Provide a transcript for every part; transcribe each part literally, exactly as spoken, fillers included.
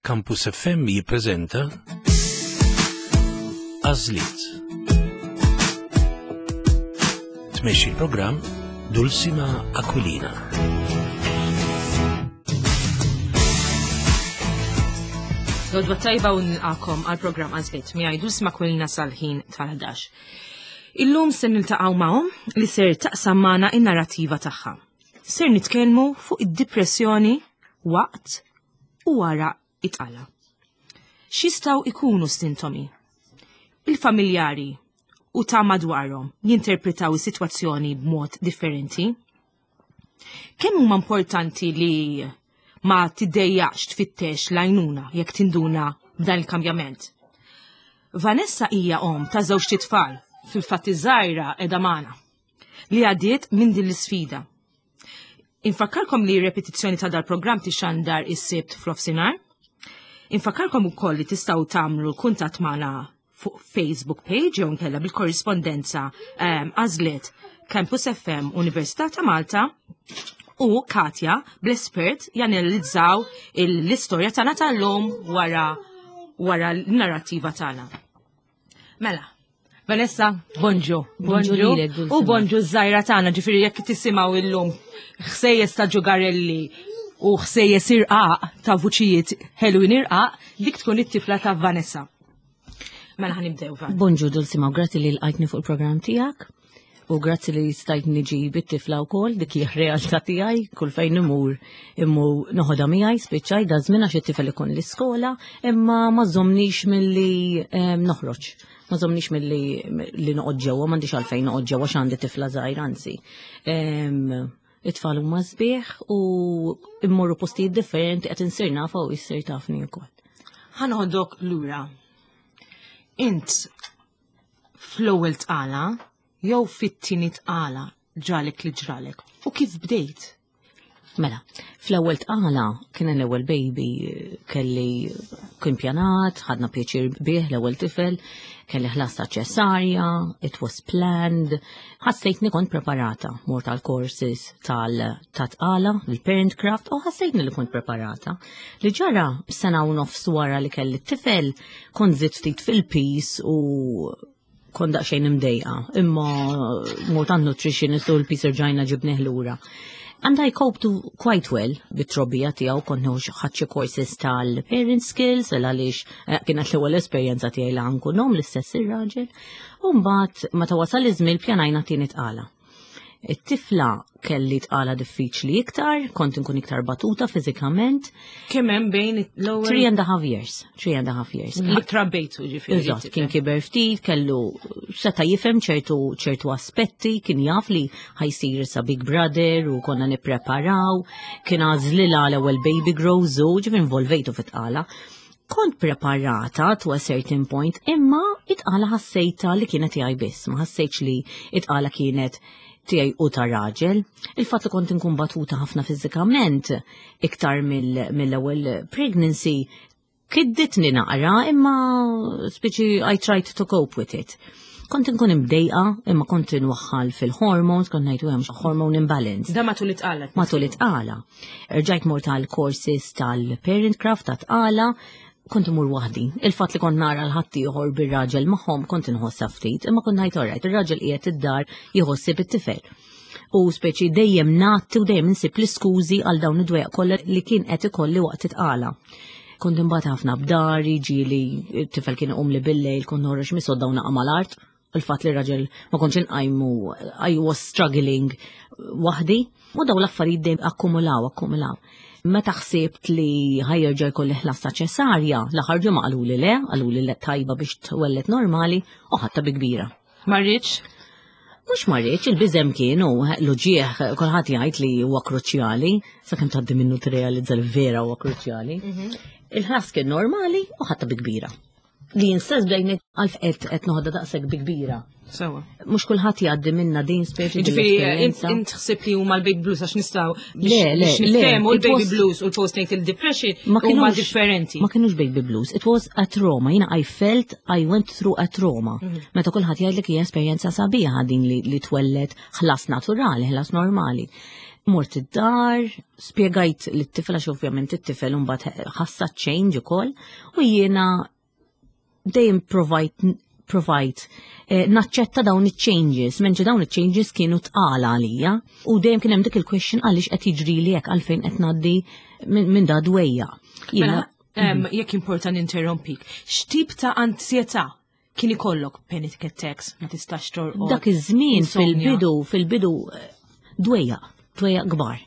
Campus F M jippreżenta Għażliet. Tmexxi l-programm Dulcima Aquilina. L-għodwa t-tajba u nilqagħkom għal programm Għażliet miegħi Dulcima Aquilina sal-ħin tal-ħdax. Illum se niltaqgħu ma' omm li ser taqsam magħna in-narrativa tagħha. Ser nitkellmu fuq id-depressjoni waqt u wara it-tqala. X'jistgħu ikunu sintomi? Il-familjari u ta' madwarhom jinterpretaw is-sitwazzjoni b'mod differenti. Kemm huma importanti li ma tiddejjaqx tfittex l-għajnuna jekk tinduna b'dan il-kambjament? Vanessa hija om ta' żewġt itfal, fil-fatt iż-żgħira qiegħda magħna, li għaddiet minn din l-isfida. Infakkarkom li repetizzjoni ta' dal-programm tixandar is-Sibt f'nofsinhar. Infakkarkom ukoll li tistgħu tagħmlu kuntatt magħna fuq Facebook page jew nkella bil-korrispondenza ehm, Għażliet, Campus F M, Università ta' Malta, u Katja bl-espert janalizzaw l-istorja tagħna tal-lum wara wara l-narrativa tagħna. Mela, Vanessa, bonġu. Bonġu lilek, Dulcima. U bonġu ż-żgħira tagħna, ġifieri jekk tisimgħu illum ħsejjes ta' ġugarelli u ħsejjes irqaq ta' vuċijiet ħelwin irqaq, dik tkun it-tifla ta' Vanessa. Mela ħa nibdew, Van. Bonġu Dulcima, u grazzi li lqajtni fuq il-programm tiegħek. U grazzi li stajt niġi bit-tifla wkoll, dik hija realtà tiegħi, kull fejn imur imur noħodha miegħi, spiċċaj da żmien għax it-tifel ikun l-iskola, imma ma żomnix milli em, noħroġ. Ma żomnix milli li noqgħod ġewwa, m'għandix għalfejn noqgħod ġewwa għax għandi tifla żgħira, anzi. Em, It-tfal huma sbieħ u immorru postijiet differenti, qed insir nafa u jsir tafni wkoll. Ħa noħodok lura. Int fl-ewwel tqala jew fit-tieni tqala ġralek li ġralek u kif bdejt? Mela, fl-ewwel tqala kien l-ewwel baby, kelli kien pjanat, ħadna pjaċir bih l-ewwel tifel, kelli ħlas ta' ċesarja, it was planned, ħassejtni kont preparata, mort tal courses tal-tqala, il-parent craft, u ħassejtni li kont preparata. Li ġara sena u nofs wara li kelli t-tifel, kont żidt ftit fil-piż u kont daqsxejn imdejqa, imma mort għand nutritionist u l-piż rġajna ġibnieh lura. And I coped quite well bit-trobbija tiegħu, kont nieħu ħadt xi courses tal-parent skills, għal għaliex eh, kienet l-ewwel esperjenza tiegħi li nkun omm, l-istess ir-raġel. U mbagħad meta wasal iż-żmien pjanajna tieni tqala. It-tifla kelli tqala diffiċli iktar, kont inkun iktar batuta fiżikament. Kemm hemm bejn l-ewwel? Three and a half years. Three and a half years. Li trabbejtu ġifieri. Eżatt, kien kiber ftit, kellu seta jifhem ċertu ċertu aspetti, kien jaf li ħa jsir issa big brother u konna nippreparaw, kien għażlilha l-ewwel baby grows u ġifieri involvejtu fit-tqala. Kont preparata to a certain point, imma it-tqala ħassejta li kienet tiegħi biss, ma ħassejtx li it-tqala kienet tiegħi u ta' raġel. Il-fatt li kont inkun batuta ħafna fiżikament iktar mill-ewwel pregnancy kidditni naqra, imma speċi I tried to cope with it. Kont inkun imdejqa, imma kont inwaħħal fil-hormones, kont ngħidu hemm hormone imbalance. Da matul it-tqala. Matul it-tqala. Rġajt mort tal-courses tal-parent craft ta' tqala, kont imur waħdi. Il-fatt li kont nara l-ħaddieħor bir-raġel magħhom kont inħossha ftit, imma kont ngħid alright, ir-raġel qiegħed id-dar jħossib it-tifel. U speċi dejjem nagħti u dejjem insib l-iskużi għal dawn id-dwejaq kollha li kien qed ikolli waqt it-tqala. Kont imbagħad ħafna b'dahri, ġieli t-tifel kien iqum li bil-lejl, kont noħroġ mis-sodda u naqa' mal-art. Il-fatt li raġel ma kontx inqajmu, I was struggling waħdi. U daw l-affarijiet dejjem akkumulaw, akkumulaw. Meta ħsibt li ħa jerġa' jkolli ħlas ta' ċesarja, l-aħħar ġimgħa qaluli le, qaluli le, tajba biex twellet normali, u ħadtha bi kbira. Ma rridx? Mhux ma rridx, il-biża' kien u l-uġigħ, kulħadd jgħid li huwa kruċjali, sakemm tgħaddi minnu tirrealizza li vera huwa kruċjali. Il-ħlas kien normali u ħadtha bi kbira. Li jinstess bdejni għalf qed qed noħodha daqshekk bi kbira. Sewa. Mhux kulħadd jgħaddi minna din speċi din Ġifieri l-esperjenza. int ħsib li huma l-baby blues, għax nistgħu Le, le, biex le, niftehmu it l-baby was- blues u l-postnatal depression Ma huma kienux- differenti. Ma kienux baby blues, it was a trauma. Jiena I felt I went through a trauma. Meta kulħadd jgħidlek hija esperjenza sabiħa din li, li twellet ħlas naturali, ħlas normali. Mort id-dar, spjegajt lit-tifel għax ovvjament it-tifel mbagħad ħassa change ukoll u jiena dejjem provajt provajt eh, naċċetta dawn iċ-changes, mentri dawn iċ-changes kienu tqala għalija u dejjem kien hemm dik il-question għaliex qed jiġri li hekk, għalfejn qed ngħaddi minn min da dwejja. Mela, em, jekk importa ninterrompik, x'tip ta' ansjetà kien ikollok, panic attacks, ma tistax torqod? Dak iż-żmien insomnia? fil-bidu, fil-bidu eh, dwejja, dwejja kbar.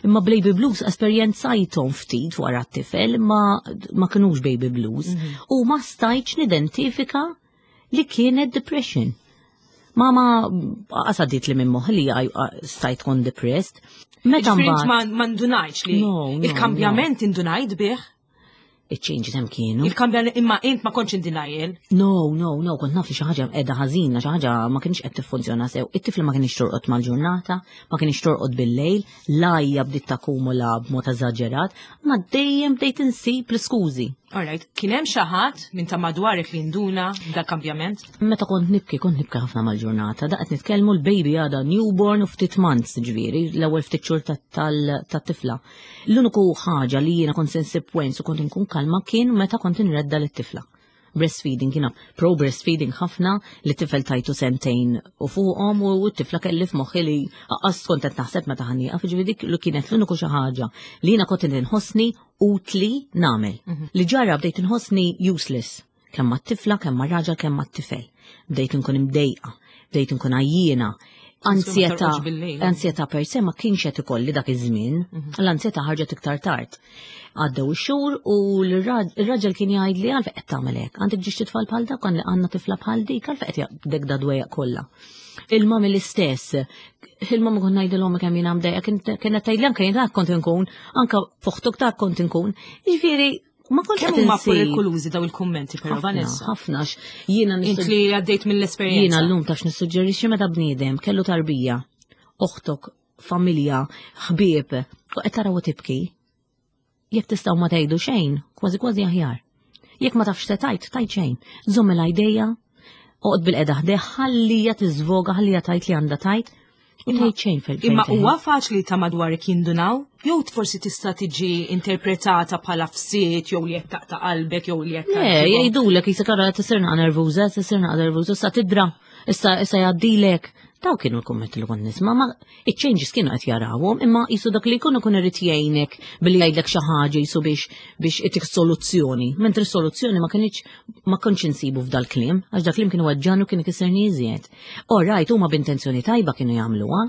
Imma baby blues esperjenzajthom ftit wara t-tifel, ma, ma kinux baby blues. U ma stajtx nidentifika li kienet depression. Ma ma qasadit li minn moħħi li għaj- stajt tkun depressed. Meta Ġifieri int mbagħad ma ma ndunajtx li No, no, il-kambjament indunajt bih, iċ-changes hemm kienu. Il-kambjament, imma int ma kontx in denial. No, no, no, kont naf li xi ħaġa qiegħda ħażina, xi ħaġa ma kienx qed tiffunzjona sew. It-tifla ma kienx torqod mal-ġurnata, ma kienx torqod bil-lejl, l-għajja bdiet takkumula b'mod eżaġerat, ma dejjem bdejt insib l-iskużi. Alright, kien hemm xi ħadd minn ta' madwarek li nduna dal-kambjament? Meta kont nibki, kont nibki ħafna mal-ġurnata, daqt nitkellmu l-baby għada newborn u ftit months, ġifieri, l-ewwel ftit xhur tat-tifla. L-uniku ħaġa li jiena kont insib wens u kont inkun kalma kien meta kont inredda lit-tifla. Breastfeeding, jiena pro breastfeeding ħafna, li tifel tajtu sentejn u fuqhom u t-tifla kelli f'moħħi li aqqas kont qed naħseb meta ħa nieqaf, ġifieri dik li kienet l-uniku xi ħaġa li jiena kont inħossni utli nagħmel. Li ġara bdejt inħossni useless kemm mat-tifla, kemm mar-raġel, kemm mat-tifel. Bdejt nkun imdejqa, bdejt nkun għajjiena. Ansjetà, torqodx bil-lejl. Ansjetà per se ma kienx qed ikolli dak iż-żmien, l-ansjetà ħarġet iktar tard. Għaddew ix-xhur u l-raġel kien jgħid li għalfejn qed tagħmel hekk, għandek żewġt itfal bħal dak, għandna tifla bħal dik, għalfejn qed jaqbdek da dwejjaq kollha. Il-mami l-istess, il-mami kont ngħidilhom kemm jiena mdejqa, kienet tgħidli anke jien dak kont inkun, anke fuħtuk dak kont inkun. Jiġifieri ma kontx Kemm qed huma insib. perikolużi daw il-kummenti però, Ħafna, Vanessa? ħafna, x- jiena Int nissuġ- li għaddejt mill-esperjenza. Jiena llum taf nissuġġerixxi meta bniedem kellu tarbija, oħtok, familja, ħbieb, u qed taraw tibki. Jekk tistgħu ma tgħidu xejn, kważi kważi aħjar. Jekk ma tafx se tgħid, tgħid xejn. Żomm il-idea, oqgħod bilqiegħda ħdejha, ħallija tiżvoga, ħallija tgħid li għandha tgħid, u Imma- tgħid xejn fil Imma huwa faċli ta' madwarek jindunaw? Jew forsi tista' tiġi interpretata bħala fsiet jew li qed taqta' qalbek jew li qed Le, tgħidilhom. jgħidulek jisek ara tisir naqa nervuża, tisir naqa nervuża, issa tidra, issa issa jgħaddilek. Daw kienu l-kummenti li kont nisma', ma iċ-changes kienu qed jarawhom, imma jisu dak li jkunu kun irid jgħinek billi jgħidlek xi ħaġa jisu biex biex itik soluzzjoni. Mentri soluzzjoni ma kienx ma kontx insibu f'dal kliem, għax dak kliem kienu weġġgħani u kien ikisserni iżjed. All right, huma b'intenzjoni tajba kienu jagħmluha,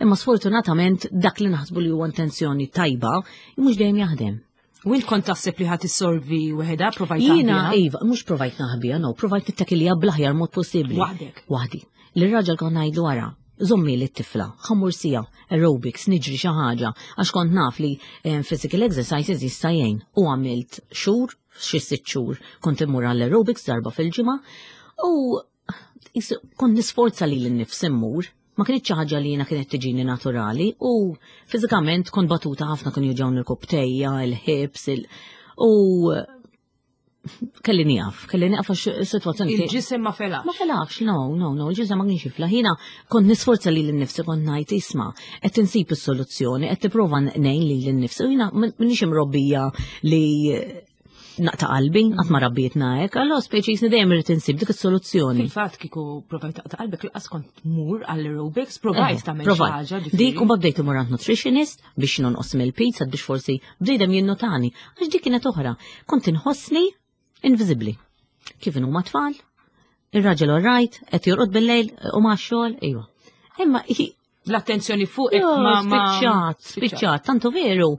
imma sfortunatament dak li naħsbu li huwa intenzjoni tajba mhux dejjem jaħdem. U int kont taħseb li ħadd issolvi weħeda, provajt Jiena, taħbiha? iva, mhux provajt naħbija, no, provajt nittakilja bl-aħjar mod possibbli. Waħdek? Waħdi. L-raġel kont ngħidlu wara, żommi li t-tifla, ħa mmur siegħa, aerobics, niġri xi ħaġa, għax kont naf li eh, physical exercises jista' jgħin. U għamilt xhur, xi sitt xhur, kont immur għall-aerobics darba fil-ġimgħa u jis- kont nisforza li l-nifsi mmur. Ma kienx xi ħaġa li jiena kienet tiġini naturali u fiżikament kont batuta ħafna, kien juġgħuni l-irkopptejja, il-hips, il u kelli nieqaf, kelli nieqaf għax is-sitwazzjoni kien- Il-ġisem ma felax. Ma felax, no, no, no, il-ġisem ma kienx jiflaħ. Jiena kont nisforza li l-nifsi, kont ngħid isma', qed insib is-soluzzjoni, qed tipprova ngħin li l-nifsi. U jiena m'iniex imrobbija li naqta' qalbi, qatt ma rabbietna hekk, allora speċi jisni dejjem irid insib dik is-soluzzjoni. Fil-fatt kieku provajt taqta' qalbek laqas kont tmur għall-aerobics, provajt Eh, tagħmel xi provajt. ħaġa ġifieri. Dik u bdejt imur għand nutritionist biex nonqos mill-piż, biex forsi bdejdem jinnotani. Għax dik kienet oħra. Kont inħossni invisibli. Kif inhuma tfal? Ir-raġel all right, qed jorqod bil-lejl u ma xogħol, iva. Imma hi- L-attenzjoni fuq Jo, ma ma spiċċat, spiċċat, tantu veru.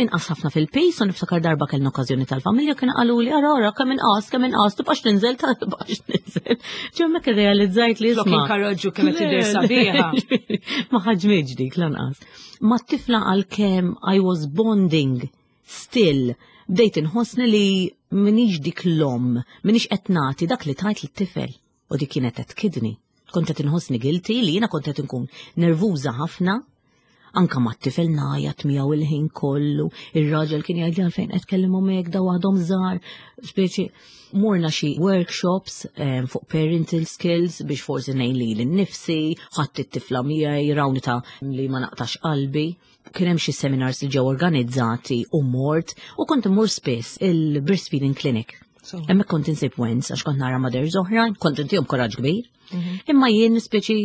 Inqas ħafna fil-piż u niftakar darba kellna okkażjoni tal-familja, kien qalu li ara ara kemm inqas, kemm inqas, tibqax tinżel, ta' tibqax tinżel. Ġemmek irrealizzajt li Flok isma'. inkarroġġu kemm qed tidher Le, sabiħa. le, ma ħaġmiġ dik lanqas. Ma t-tifla għal-kem I was bonding still, bdejt inħossni li minix dik l-om, minix qed nagħti dak li tajt lit-tifel. U dik kienet qed tkidni. Kont qed inħossni guilty li jiena kont qed inkun nervuża ħafna. Anka ma t-tifel ngħajjat miegħu il-ħin kollu, ir-raġel kien jgħidli għalfejn qed tkellimhom hekk, daw għadhom żgħar, speċi morna xi workshops em, fuq parental skills biex forsi ngħin li l-nifsi, ħadd it-tifla miegħi, rawni ta' li ma naqtax qalbi. Kien hemm xi seminars li ġew organizzati u mort u kont immur spiss il-breastfeeding clinic. So. Hemmhekk kont insib wens għax kont nara mothers oħrajn, kont intihom kuraġġ kbir. Imma jien speċi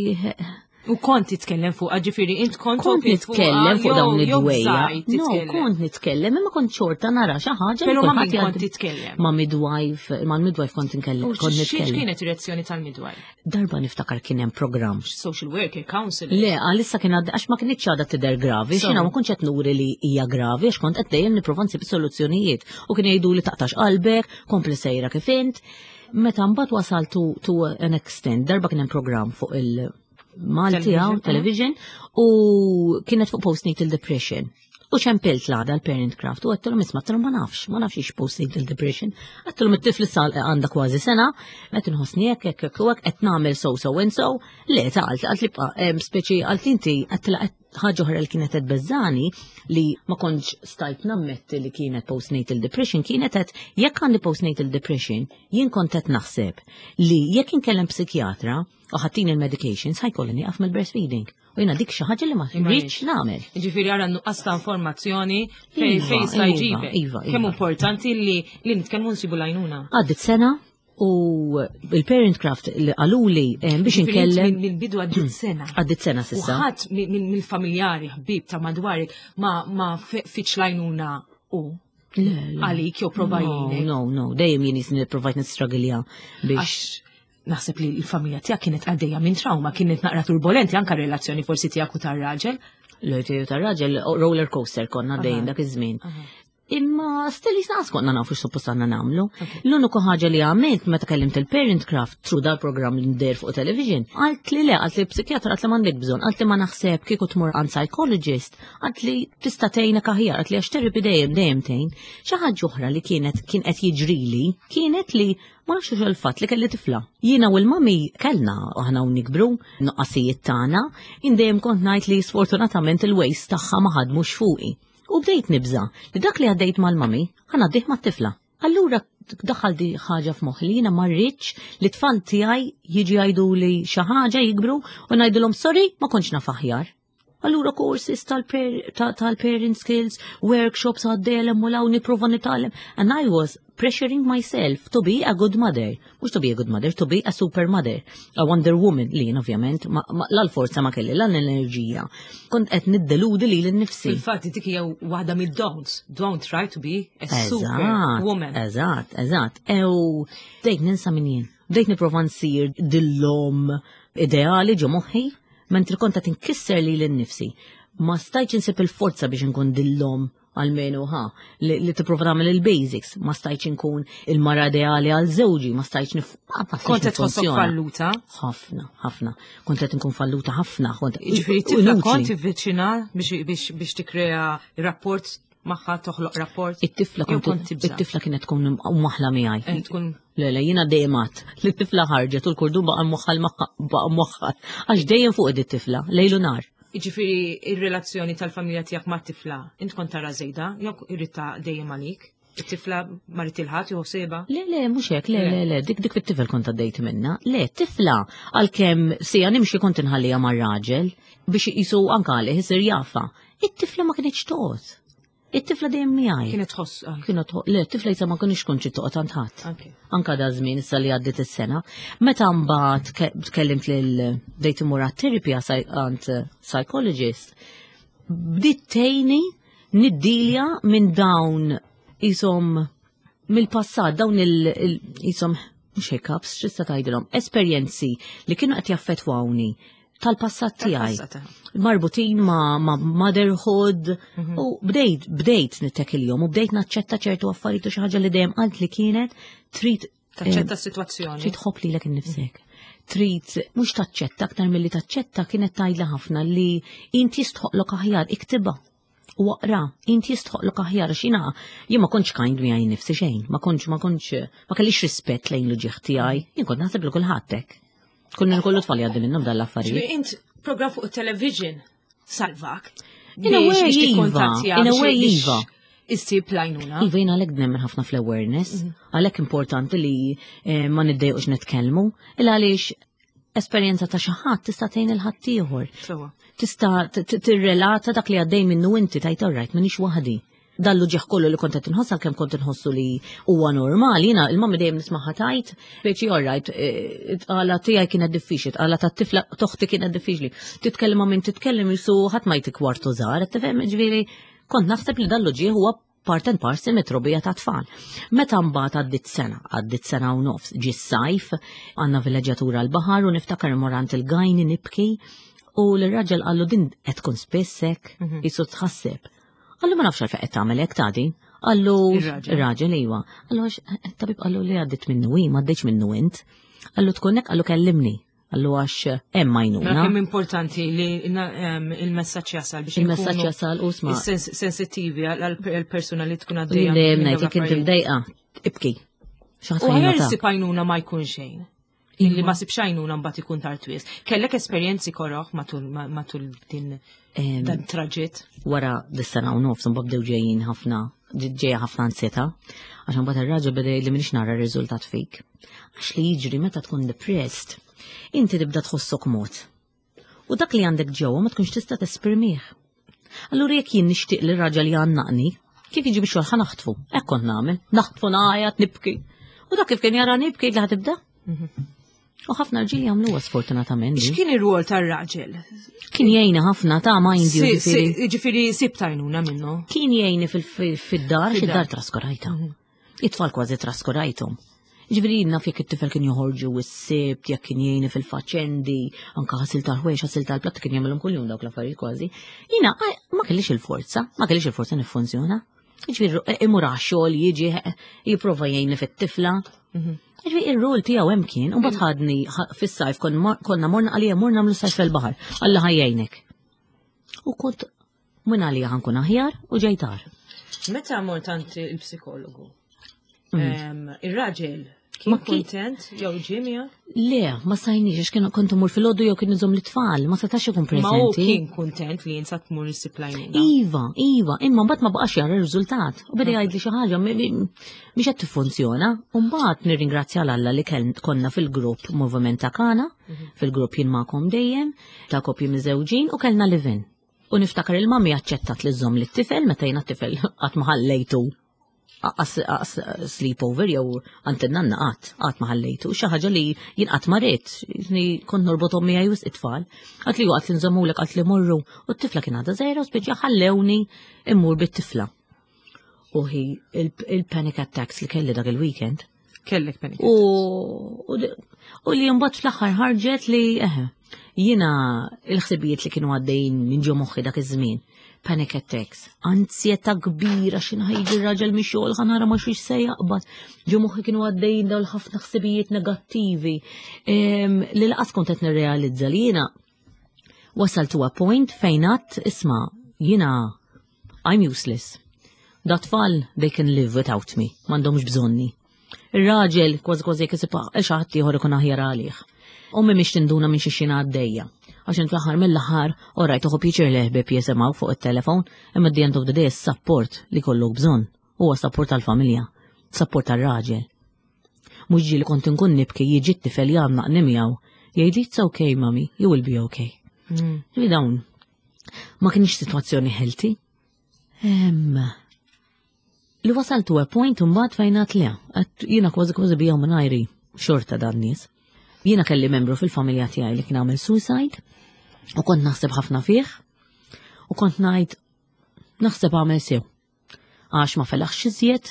U kont titkellem fuq, ġifieri, int kont kont open fuqha, nitkellem fuq jew- dawn jew id-dwejja. bżajt No, titkellem. kont nitkellem, imma kont xorta nara xi ħaġa li Pero ma' kulħadd min kont jgħaddi- titkellem? Ma' midwife, ma' midwife kont nkellem, U kont xiex nitkellem. kienet ir-reazzjoni tal-midwife? Darba niftakar kien hemm programm. Social worker, counselor. Le, għalissa kien għadda, għax ma kienx għadha tidher gravi, So. xina ma kontx qed nuri li hija gravi, għax kont qed dejjem nipprova nsib soluzzjonijiet. U kien jgħidu li taqtax qalbek, kompli sejra kif int. Meta mbagħad wasal to, to an extent, darba kien hemm programm fuq il- Malti Television, hawn, television, u kienet fuq postnatal depression. U ċempilt l-għada l-Parent Craft u għedtilhom isma' għedtilhom ma nafx, ma nafx ix postnatal depression. Għedtilhom it-tifel sal għandha kważi sena, qed inħossni hekk hekk hekk u hekk qed nagħmel so so and so. Le ta' għalt għalt li bqa' em, speċi għalt inti għedtilha qed ħaġa oħra li kienet qed beżani li ma kontx stajt nammetti li kienet postnatal depression kienet qed jekk għandi postnatal depression jien kont qed naħseb li jekk inkellem psikjatra u ħa ttini il-medications ħa jkolli nieqaf mill-breastfeeding. U jiena dik xi ħaġa li ma Imma rridx nagħmel. Ġifieri għara nuqqas ta' informazzjoni fej Iva, fej sta iva, jġibek. iva, Kemm iva. importanti li li nitkellmu nsibu l-għajnuna. Għaddit sena u il-Parent Craft li qaluli eh, biex Ġifieri int inkellem minn- Mill-bidu għaddit sena. għaddit sena U s'issa. ħadd mi- min- mill-familjari, ħbib ta' madwarek ma ma fi- fitx l-għajnuna u Le, le. għalik jew prova No, jgħinek. no, no, dejjem jien jisni provajt nistragilja biex. Għax naħseb li l-familja tiegħek kienet għaddejja minn trauma, kienet naqra turbolenti anka relazzjoni forsi tiegħek u tar-raġel. L-ħtiju tar-raġel roller coaster konna dejjem dak iż-żmien. Imma still jisnaqas konna nafu x'suppost għandna nagħmlu. L-uniku ħaġa li għamilt meta kellimt il-Parent Craft through dal-programm li ndeher fuq television, għalt li le, għalt li psikjatra għalt li m'għandek bżonn, għalt li ma naħseb kieku tmur għand psychologist, għalt li tista' tgħinek aħjar, għalt li għax therapy dejjem dejjem tgħin. Xi ħaġa oħra li kienet kien qed jiġrili kienet li ma nafx xo il-fatt li kelli tifla. Jiena u l-mami kellna aħna u nikbru nuqqasijiet tagħna, jien dejjem kont ngħid li sfortunatament il-ways tagħha ma ħadmux fuqi. U bdejt nibża li dak li għaddejt mal-mami ħa ngħaddih mat-tifla. Allura daħal di ħaġa f'moħħi li jiena ma rridx li tfal tiegħi jiġi jgħidu li xi ħaġa jikbru u ngħidulhom sorry ma kontx naf aħjar. Allura courses tal-parent skills, workshops għaddejlem u law nipprova nitgħallem. And I was pressuring myself to be a good mother. Mhux to be a good mother, to be a super mother. A Wonder Woman li jien ovvjament, ma, ma, l-forza ma kelli, l-enerġija. Kont qed niddeludi li l-nifsi. Fil-fatt dik hija waħda mid-don'ts. Don't try to be a super Eżatt, woman. Eżatt, eżatt. Ew, bdejt ninsa min jien. Bdejt nipprova nsir dil-omm ideali ġo moħħi, mentri kont qed inkisser li l-nifsi. Ma stajtx insib il-forza biex nkun dil-omm almenu ha, li, li tipprova tagħmel il-basics, ma stajtx nkun il-mara ideali għal żewġi, ma stajtx nif. ma stajtx Kont qed tħossok niffunzjona. falluta. Ħafna, ħafna. Kont qed nkun falluta ħafna, kont Ġifieri tifla inutli. kont tivviċina biex biex biex tikkrea rapport magħha toħloq rapport. It-tifla Jew kont kont tibża'. it-tifla kienet tkun maħla miegħi. Eh, tkun Le, le, jiena dejjem għat. Li t-tifla ħarġet u l-kordun baqa' mwaħħal baqa' mwaħħal. Għax dejjem fuq id tifla lejlu nar. Ġifieri ir-relazzjoni tal-familja tiegħek mat-tifla, int kont tara żejda, jew irridta dejjem għalik. It-tifla ma rid ilħat jew seba. Le, le, mhux hekk, le, Le. le, le, dik dik fit-tifel kont għaddejt minna. Le, tifla, għalkemm sija nimxi kont inħallija mar-raġel biex jisu anka għalih isir jafa. It-tifla ma kienx toqgħod. It-tifla dejjem miegħi. Kienet tħoss. ah, Kienet toqgħod- le, t-tifla jisa ma kienx kontx toqgħod għand ħadd. Anke. Anka da żmien issa li għaddit is-sena. Meta mbagħad ke- tkellimt lil bdejt imur għat-therapy għand psychologist, bdiet tgħinni niddilja minn dawn isom mill-passat, dawn il, il isom mhux hiccups, x'tista' tgħidilhom, esperjenzi li kienu qed jaffettwawni tal-passat tiegħi. Tal-passat, Marbutin ma, ma motherhood Mhm. u bdejt bdejt nittekilhom u bdejt naċċetta ċertu affarijiet u xi ħaġa li dejjem qalt li kienet trid Taċċetta eh, s-sitwazzjoni. trid tħobb lilek innifsek. Trid mhux taċċetta aktar milli taċċetta kienet tgħidla ħafna li inti jistħoqlok aħjar iktibha. U aqra, inti jistħoqlok aħjar għax jiena jien ma kontx kind miegħi nnifsi xejn, ma kontx ma kontx ma kellix rispett lejn l-ġieħ tiegħi, jien kont naħseb li kulħadd hekk. Kunna kollu tfal jgħaddi minnhom dan l-affarijiet. Ġifieri int program fuq il-television salvak. In a Biex- way, biex iva. tikkontattja, In a biex- way, biex iva. Issib l-għajnuna. Iva jien għalhekk nemmen ħafna fl-awareness, għalhekk importanti li eh, ma niddejqux nitkellmu, illa għaliex esperjenza ta' xi ħadd tista' tgħin il ħaddieħor. Sewwa. Tista' tirrelata dak li għaddej minnu inti tgħid, "Alright, m'iniex waħdi." Dan l-uġigħ kollu li kont qed inħoss, għalkemm kont inħossu li huwa normali, jiena il-mami dejjem nismagħha tgħid, speċi, "Alright, tqala tiegħi kienet diffiċli, tqala tat-tifla t'oħti kienet diffiċli." Titkellem ma' min titkellem jisu ħadd ma jtik kwartu żgħar, tifhem, ġifieri kont naħseb li dan l-uġigħ huwa part and parcel mit-trobbija ta' tfal. Meta mbagħad għaddit sena, għaddit sena u nofs, ġi s-sajf, għandna villeġġjatura l-baħar u niftakar immur għand il-gynae nibki u l-raġel qallu, "Din qed tkun spiss hekk?" Jisu tħasseb. Qallu, "Ma nafx għalfejn qed tagħmel hekk ta' din." Qallu ir-raġel, iwa. Qallu għax tabib qallu li għaddit minnu hi, ma għadditx minnu int. Qallu tkun hekk, qallu kellimni. Qallu għax hemm għajnuna. Mela kemm importanti li il-messaġġ jasal biex Il-messaġġ jasal u sma. Sensittivi għal-persuna li tkun għaddejja. Dejjem ngħid, jekk inti mdejqa, ibki. U aħjar issib għajnuna ma jkun xejn. Illi ma ssibx għajnuna mbagħad ikun tard wisq. Kellek esperjenzi koroħ matul din dan traġitt? Wara dis-sena u nofs mbagħad bdew ġejjin ħafna, ġejja ħafna ansjetà, għax mbagħad ir-raġel beda li m'iniex nara r-riżultat fik. Għax li jiġri meta tkun depressed, inti tibda tħossok mod. U dak li għandek ġewwa ma tkunx tista' tesprimih. Allura jekk jien nixtieq li raġel jgħannaqni, kif jiġi biex ħa naħtfu? Hekk kont nagħmel, naħtfu ngħajjat, nibki. U dak kif kien jara nibki li ħa tibda? U ħafna rġiel jagħmluha, sfortunatament. X'kien ir-rwol tar-raġel? Kien jgħinna ħafna ta' mind you. Ġifieri sibt għajnuna minnu. Kien jgħinni fid-dar, fid-dar traskurajta. It-tfal kważi traskurajthom. Ġifieri naf jekk it-tifel kien joħorġu s-Sibt, jekk kien jgħinni fil-faċendi, anka ħasil tal-ħwejjeġ, ħasil tal-platt, kien jagħmilhom kuljum dawk l-affarijiet kważi. Jiena ma kellix il-forza, ma kellix il-forza niffunzjona. Ġifieri imur għax-xogħol, jiġi, jipprova jgħinni fit-tifla. Ġifieri ir-rol tiegħu hemm kien, u mbagħad ħadni fis-sajf, konna morna għalija, morna nagħmlu sajf fil-baħar. Alla ħa jgħinek. U kont minn għalija ħa nkun aħjar u ġejtar. Meta mort għand il-psikologu? Ir-raġel kien kontent jew ġie miegħek? Le, ma stajniex, għax kien kont imur filgħodu jew kien iżomm l-tfal, ma setax ikun Ma hu preżenti. kien kontent li jinsa tmur issib l-għajnuna. Iva, iva, imma mbagħad ma baqax jara r-riżultat. U beda jgħid li xi ħaġa mi- mi- mhix qed tiffunzjona. U mbagħad nirringrazzja 'l Alla li kell- konna fil-grupp Moviment ta' Kana, fil-grupp Jien Magħkom Dejjem, ta' koppji miżewġin u kellna live-in. U niftakar il-mami aċċettat li żżomm lit-tifel meta jiena t-tifel qatt ma ħallejtu aqas aqas sleepover jew għand in-nanna, qatt qatt ma ħallejtu. Xi ħaġa li jien qatt ma rrid, ni kont norbothom miegħi wisq it-tfal. Qatt li waqt li nżommulek, qatt li morru u t-tifla kien għadha żgħira u speċi ħallewni immur bit-tifla. U hi il-panic attacks li kelli dak il-weekend. Kellek panic. U, u, u li mbagħad fl-aħħar ħarġet li eħe, jiena il-ħsibijiet li kienu għaddejjin minn ġo moħħi dak iż-żmien. Panic attacks, ansjetà kbira, x'ħin ħa jiġi r-raġel mix-xogħol ħa nara ma xiex se jaqbad. Ġo moħħi kienu għaddejjin dawn ħafna ħsibijiet negattivi em, li lanqas kont qed nirrealizza li jiena wasal to a point fejn għedt, "Isma', jiena I'm useless. Dat-tfal, they can live without me, m'għandhomx bżonni. Ir-raġel kważi kważi jekk isib xi ħadd ieħor ikun aħjar għalih. Ommi mhix tinduna minn xi xina għaddejja. Għax int fl-aħħar mill-aħħar, orajt tuħu pjaċir li ħbieb jisimgħu fuq it-telefon, imma at the end of the day support li kollok bżonn huwa support tal-familja, support tal-raġel. Mhux ġieli kont inkun nibki, jiġi t-tifel jgħannaqni miegħu. Jgħidli, "It's okay, mami, you will be okay." Mm. Li dawn ma kienx sitwazzjoni healthy. Em, li wasal to a point mbagħad fejn għedt le, għedt jiena kważi kważi bija mingħajri xorta dan nies. Jiena kelli membru fil-familja tiegħi li kien għamel suicide u kont naħseb ħafna fih u kont ngħid naħseb għamel sew. Għax ma felaħx iżjed,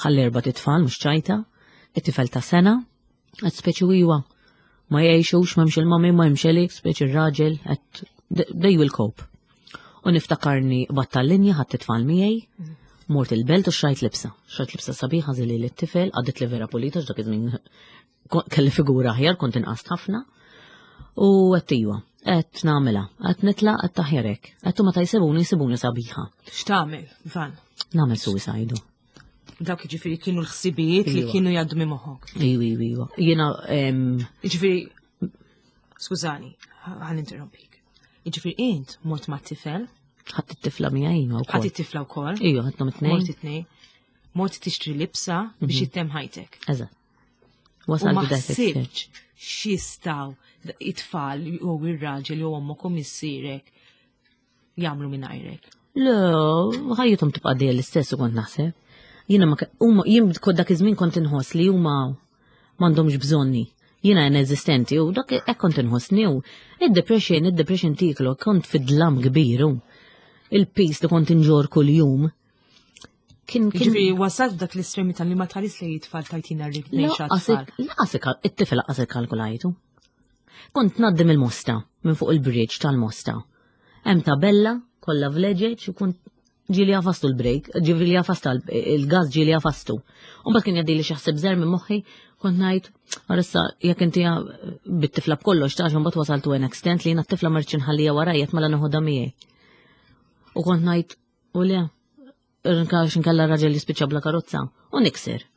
ħalli erbat itfal mhux ċajta, it-tifel ta' sena, għedt speċi iwa, ma jgħixux, m'hemmx il-mami, ma hemmx li, speċi ir-raġel, għedt they will cope. U niftakarni battal-linja, ħadt it-tfal miegħi, mort il-belt u xtrajt libsa. Xtrajt libsa sabiħa żili lit-tifel, għaddit li vera pulita, dak iż-żmien kelli figura aħjar, kont inqast ħafna. U għedt iwa, għedt nagħmilha, għedt nitlaq, għedt aħjar hekk. Għedt meta jsibuni, jsibuni sabiħa. X'tagħmel, Van? Nagħmel suicide. Dawk jiġifieri kienu l-ħsibijiet li Iva. kienu jgħaddu minn moħħok. Iwa, iwa, iwa. Jiena, em, Jiġifieri, skużani, ħa ninterrompik. Jiġifieri int mort ma' tifel, ħadt it-tifla miegħi iva ħadd wkoll. it-tifla wkoll, Iva, ħadthom it-tnejn. mort it-tnejn, mort tixtri libsa biex ittemm ħajtek. Eżatt. Wasalt ma to that extent. ħsibx x'jistgħu it-tfal jew ir-raġel jew ommok u missierek jagħmlu mingħajrek. Le, ħajjithom tibqa' dejjem l-istess u kont naħseb. Jiena ma huma jien kont dak iż-żmien kont inħoss li huma m'għandhomx bżonni. Jiena ineżistenti u dak hekk kont inħossni u id-depression, id-depression tiklu kont fid-dlam kbir u il-piż li kont inġorr kuljum kien kien Ġifieri wasalt f'dak l-estremità li ma tħares li it-tfal tajtina rrid ngħix għat-tfal. Lanqas it-tifel lanqas ikkalkulajtu. Kont ngħaddi mill-Mosta, minn fuq il-bridge tal-Mosta. Hemm tabella kollha vleġeġ u kont ġieli għafastu l-brake, ġieli għafastu il-gas ġieli għafastu. U mbagħad kien jgħaddi li xi ħsieb żgħir minn moħħi, kont ngħid, issa jekk inti bit-tifla b'kollox tax mbagħad wasaltu an extent li jiena t-tifla ma rridx inħallija warajja mela noħodha miegħi. U kont ngħid, u le, nkax nkella raġel jispiċċa bla karozza u nikser.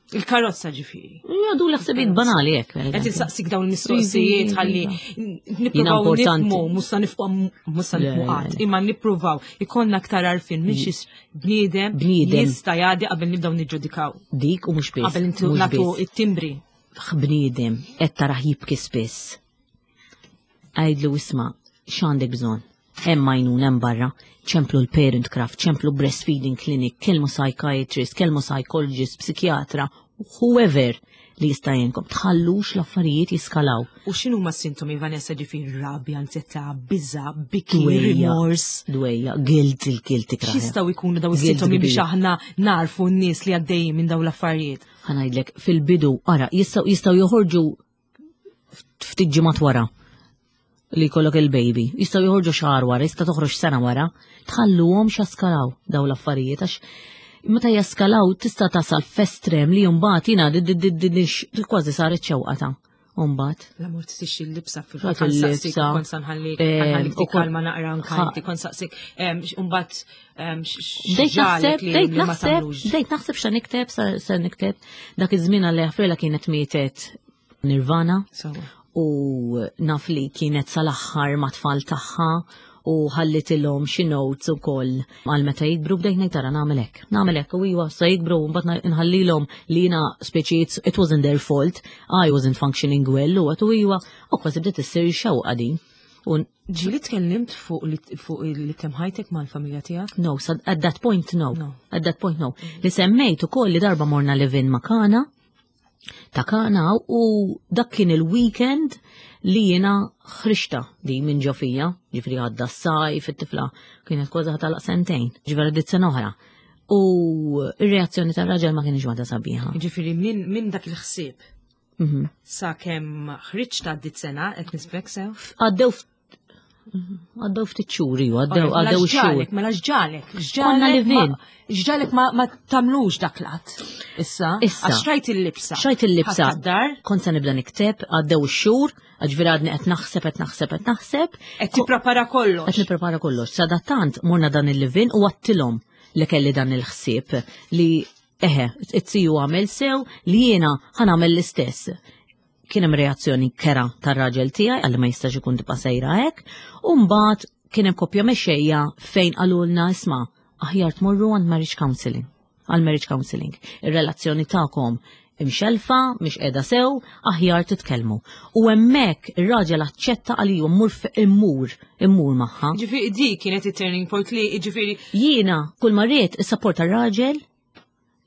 Il-karozza ġifieri. Jgħaddu l-ħsibijiet banali hekk. per Qed eżempju. insaqsik dawn il-mistoqsijiet ħalli Jiena nippruvaw importanti. nifhmu, musta nifhmu musta Le, nifhmu le, qatt, le. imma nippruvaw ikollna aktar għarfien minn xi bniedem Bniedem. jista' jgħaddi qabel nibdew niġġudikaw. Dik u mhux biss. Qabel intu mhux nagħtu biss. it-timbri. Bniedem qed tarah jibki spiss. Għidlu isma' x'għandek bżonn? Hemm għajnuna hemm barra, ċemplu l-Parent Craft, ċemplu breastfeeding clinic, kellmu psychiatrist, kellmu psychologist, psikjatra, whoever li jista' jgħinkom. Tħallux l-affarijiet jiskalaw. U x'inhu ma sintomi Vanessa ġifieri rabja, ansjetà, biża, biki, Dwejja. rimors. Dwejja, guilt, il-guilt ikraħ. X'jistgħu jkunu daw Guilt is-sintomi biex kbir. aħna narfu n-nies li għaddejjin minn daw l-affarijiet? Ħa ngħidlek, fil-bidu, ara, jistgħu jistgħu joħorġu ftit ġimgħat wara li jkollok il-baby. Jistgħu joħorġu xahar wara, jista' toħroġ sena wara, tħalluhom jaskalaw daw l-affarijiet għax meta jaskalaw tista' tasal f'estrem li mbagħad jiena di- di- di- di- di- kważi saret xewqa ta' mbagħad. La mort tixi l-libsa fil Rat kont saqsik, il-libsa. kont sanħalli, Eh, ħanħallik u kon- tikkalma naqra ħa- nkanti, kont saqsik, mbagħad Bdejt naħseb, x'ġalek li bdejt li ma naħseb, tagħmlux. bdejt naħseb xa nikteb, sa sa nikteb. Dak iż-żmien għal ħafrila kienet mietet Nirvana. Sewwa. U naf li kienet sal-aħħar ma' tfal tagħha u ħallitilhom xi notes ukoll għal meta jikbru bdejt ngħid tara nagħmel hekk. Nagħmel hekk u iwa sa jikbru u mbagħad nħallilhom li jiena speċi it's- it wasn't their fault, I wasn't functioning well u għatu iwa u kważi bdiet issir xewqa din. U Ġieli tkellimt fuq li fuq li temm ħajtek mal-familja tiegħek? no, so at that point no. No. At that point no. Li semmejt ukoll li darba morna live-in ma' Kana, ta' Kana u dak kien il-weekend li jiena ħriġtha di minn ġo fija, ġifieri għadda s-sajf, it-tifla kienet kważi ħa tagħlaq sentejn, ġifieri dit sena oħra. U ir-reazzjoni tar-raġel ma kienx waħda sabiħa. Ġifieri minn min dak il-ħsieb Mhm. sa kemm ħriġt għaddit sena qed nisbek sew? Għaddew ft- għaddew ftit xhur, ju, għaddew Mela għaddew xhur. x'ġalek, mela x'ġalek, Konna x'ġalek live-in. ma- x'ġalek ma ma tagħmlux dak l-att. Issa, Issa. għax xtrajt il-libsa. Xtrajt il-libsa. Ħadt dar Kont se nibda nikteb, għaddew ix-xhur, ġifieri għadni qed naħseb, qed naħseb, qed naħseb. qed tipprepara kollox. Qed nipprepara kollox. Sadattant morna dan il-live-in u għedtilhom li kelli dan il-ħsieb li eħe, it-tiju għamel sew li jiena ħa nagħmel l-istess. Kien hemm reazzjoni kerha tar-raġel tiegħi għalli ma jistax ikun tibqa' sejra hekk, u mbagħad kien hemm koppja mexxejja fejn qalulna isma' aħjar tmorru għand marriage counseling għal marriage counseling. Ir-relazzjoni tagħkom imxelfa, mhix qiegħda sew, aħjar titkellmu. U hemmhekk ir-raġel aċċetta għaliju mmur f- immur, immur magħha. Ġifieri di kienet it-turning point li ġifieri Jiena kull ma rrid is-support tar-raġel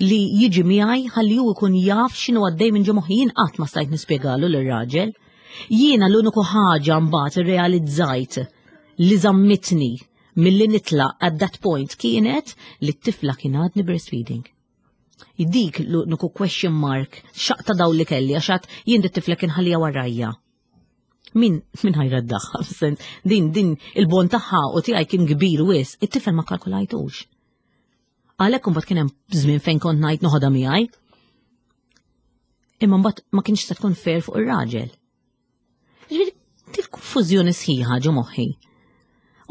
li jiġi miegħi ħalli hu jkun jaf x'inhu għaddej minn ġo moħħi jien qatt ma stajt nispjegalu lir-raġel. Jiena l-uniku ħaġa mbagħad irrealizzajt li żammitni milli nitlaq at that point kienet li t-tifla kien għadni breastfeeding. Dik l-uniku question mark xaqta daw li kelli għax għedt jien dit-tifla kien ħallija warajja. Min, min ħa jreddagħha, fis-sens, din, din, il-bond tagħha u tiegħi kien kbir wis, it-tifel ma kalkulajtux. Għalhekk imbagħad kien hemm żmien fejn kont ngħid noħodha miegħi. Imma mbagħad ma kienx se tkun fair fuq ir-raġel. Ġifieri til-konfużjoni sħiħa ġo moħħi.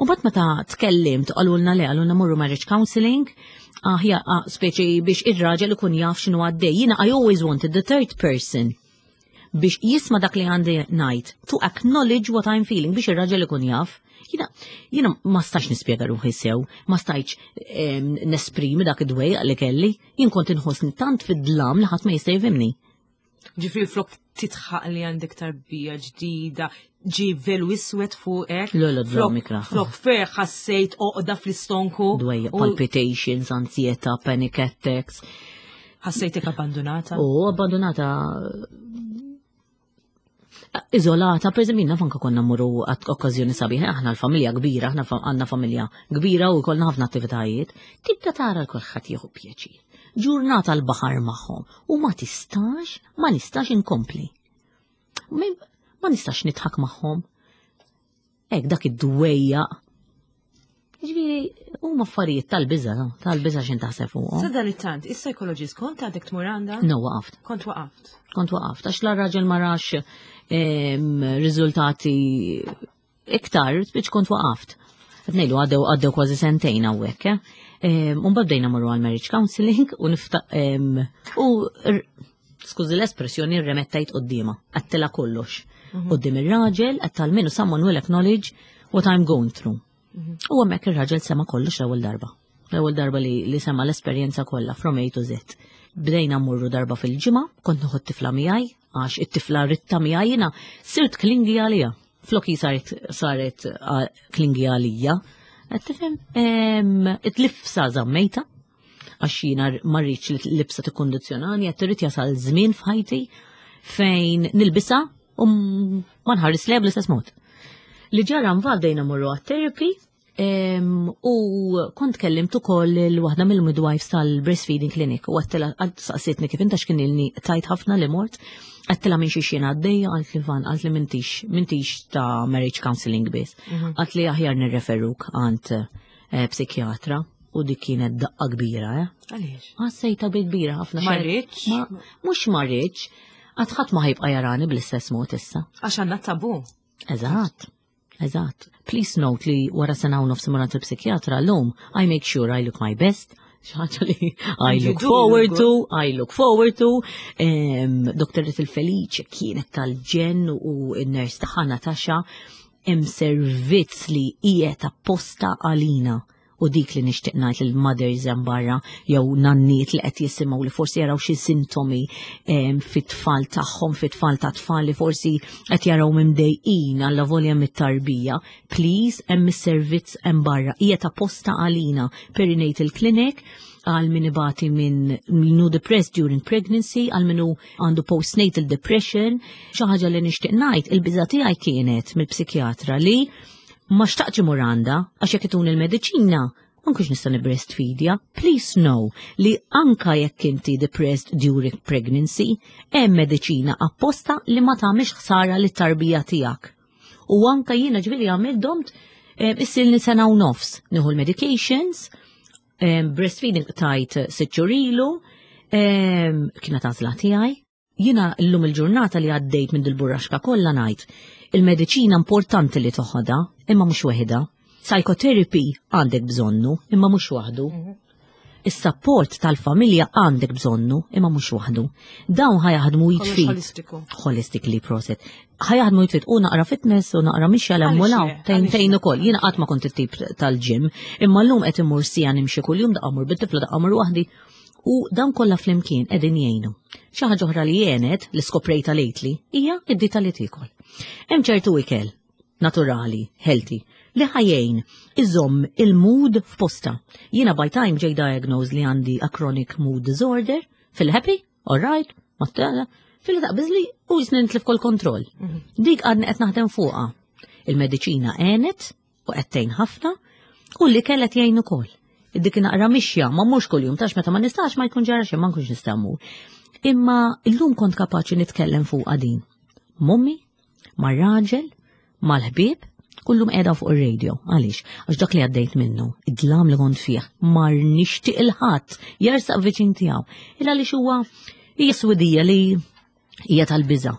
U mbagħad meta tkellimt qalulna le qalulna morru marriage counseling, aħja ah, speċi biex ir-raġel ikun jaf x'inhu għaddej. Jiena I always wanted the third person biex jisma dak li għandi ngħid, to acknowledge what I'm feeling biex ir-raġel ikun jaf. Jiena, jiena ma stax nispjega ruħi sew, ma stajtx em, nesprimi dak id-dwejaq li kelli, jien kont inħossni tant fid-dlam li ħadd ma jista' jifhimni. Ġifieri flok titħaq li għandek tarbija ġdida, ġi velu iswed fuqek. Le, le, flok- dlam ikrah. Flok ferħ ħassejt oqda fl-istonku. Dwejja, u palpitations, ansieta, panic attacks. Ħassejtek abbandonata. U abbandonata, izolata, per eżempju, naf anka konna mmorru għat okkażjoni sabiħa, aħna l-familja kbira, aħna fa- għandna familja kbira u kollna ħafna attivitajiet, tibda tara l-kulħadd jieħu pjaċir. Ġurnata l-baħar magħhom u ma tistax, ma nistax inkompli. Ma ma nistax nidħak magħhom. Ek dak id-dwejja. Ġifieri, huma affarijiet tal-biża, no? Tal-biża x'in taħseb fuqhom. Sa dan it-tant, is-psychologist kont għadek tmur għandha? No, waqaft. Kont waqaft. Kont waqaft, għax la raġel ma rax em, riżultati iktar, biex kont waqaft. Qed ngħidu għaddew għaddew kważi sentejn hawnhekk, eh? Em, U mbagħad bdejna morru għal marriage counseling u nifta em, u r- skużi l-espressjoni, rremettajt quddiemha, għedtilha kollox. Qudiem ir-raġel, għedt almenu someone will acknowledge what I'm going through. U hemmhekk ir-raġel sema kollox l-ewwel darba. L-ewwel darba li, li sema l-esperjenza kollha from A to Z. Bdejna mmorru darba fil-ġimgħa, kont nieħu t-tifla miegħi, għax it-tifla ritta miegħi, jiena sirt clingy għalija. Floki saret saret ah, clingy għalija. Qed tifhem? Em, It-libsa żammejtha, għax jiena ma rridx li l-libsa tikkondizzjonani, qed irrid jasal żmien f'ħajti fejn nilbisha u m- ma nħares lejha bl-istess mod. Li ġara mbagħad bdejna morru għat-therapy em, u kont kellimt ukoll il-waħda mill-midwives tal-breastfeeding clinic u għedtilha, għad saqsitni kif inta x'kien ilni tajt ħafna li mort, għedtilha minn xi xien għaddejja, għalt li van, għalt li m'intix, m'intix ta' marriage counseling biss. Għalt li aħjar nirreferuk għand eh, psikjatra u dik kienet daqqa kbira, eh? Għaliex? Għassejta bi kbira ħafna. Ma xejn. rridx? Ma- Mhux ma rridx, għad ħadd ma ħa jibqa' jarani bl-istess mod issa. Għax għandna tabu. Eżatt, eżatt. Please note li wara sena u nofs imur il-psikjatra l-lum, I make sure I look my best, xi ħaġa li I And you look do forward look to, I look forward to. Um, Doktor il-Feliċ kienet tal-ġenn u n-nurse tagħha Natasha, hemm servizz li qiegħed apposta għalina u dik li nixtieq ngħid lil mothers hemm barra jew nanniet li qed jisimgħu li forsi jaraw xi sintomi em, fit-tfal tagħhom, fit-tfal ta' tfal li forsi qed jaraw mimdejqin alla volja mit-tarbija. Please, hemm is-servizz hemm barra. Qiegħed apposta għalina, perinatal clinic, għal min ibati minn min hu depressed during pregnancy, għal min hu għandu postnatal depression. Xi ħaġa li nixtieq ngħid, il-biża tiegħi kienet mill-psikjatra li ma xtaqtx imur għandha għax jekk ituni l-mediċina ma nkunx nista' nibreastfeedja. Please know li anka jekk inti depressed during pregnancy, hemm mediċina apposta li ma tagħmilx ħsara lit-tarbija tiegħek. U anka jiena ġifieri għamilt domt eh, issilni sena u nofs nieħu l-medications, eh, breastfeeding tajt sitt xhur ilu, eh, kienet għażla tiegħi. Jiena llum il-ġurnata li għaddejt minn dil-burraxka kollha ngħid, il-mediċina importanti li toħodha, imma mhux waħedha. Psychotherapy għandek bżonnu, imma mhux waħdu. Is-support tal-familja għandek bżonnu, imma mhux waħdu. Dawn ħa jaħdmu Kollox id f'id. holistiku. Holistically proset. Ħa jaħdmu id f'id u naqra fitness u naqra mixja Għaliex l-emmulaw. le? Tejn Għaliex tejn le? ukoll. Jiena qatt ma kont it-tip tal-gym, imma llum qed immur sija nimxi kuljum, daqqa mmur bit-tifla, daqqa mmur waħdi. U dan kollha flimkien qegħdin jgħinu. Xi ħaġa oħra li għenet li skoprejta lately hija id-dieta li tiekol. Hemm ċertu ikel naturali, healthy, li ħa jgħin iżomm il-mood f'posta. Jiena by time ġej diagnosed li għandi a chronic mood disorder, fil-happy, all right, ma tela, fil-taqbiżli u jisni nitlif kol kontroll. Dik għadni qed naħdem fuqha. Il-mediċina għenet u qed tgħin ħafna u li kellet jgħin ukoll. Dik naqra mixja, ma mhux kuljum, tax meta ma nistax ma jkun ġara xejn, ma nkunx nista' mmur. Imma illum kont kapaċi nitkellem fuq din. M'ommi, mar-raġel, mal-ħbieb, kullum qiegħda fuq ir-radio. Għaliex? Għax dak li għaddejt minnu, id-dlam li kont fih, mar nixtieq il-ħadd jersaq viċin tiegħu. Illa għaliex huwa hija swidija li hija tal-biża'.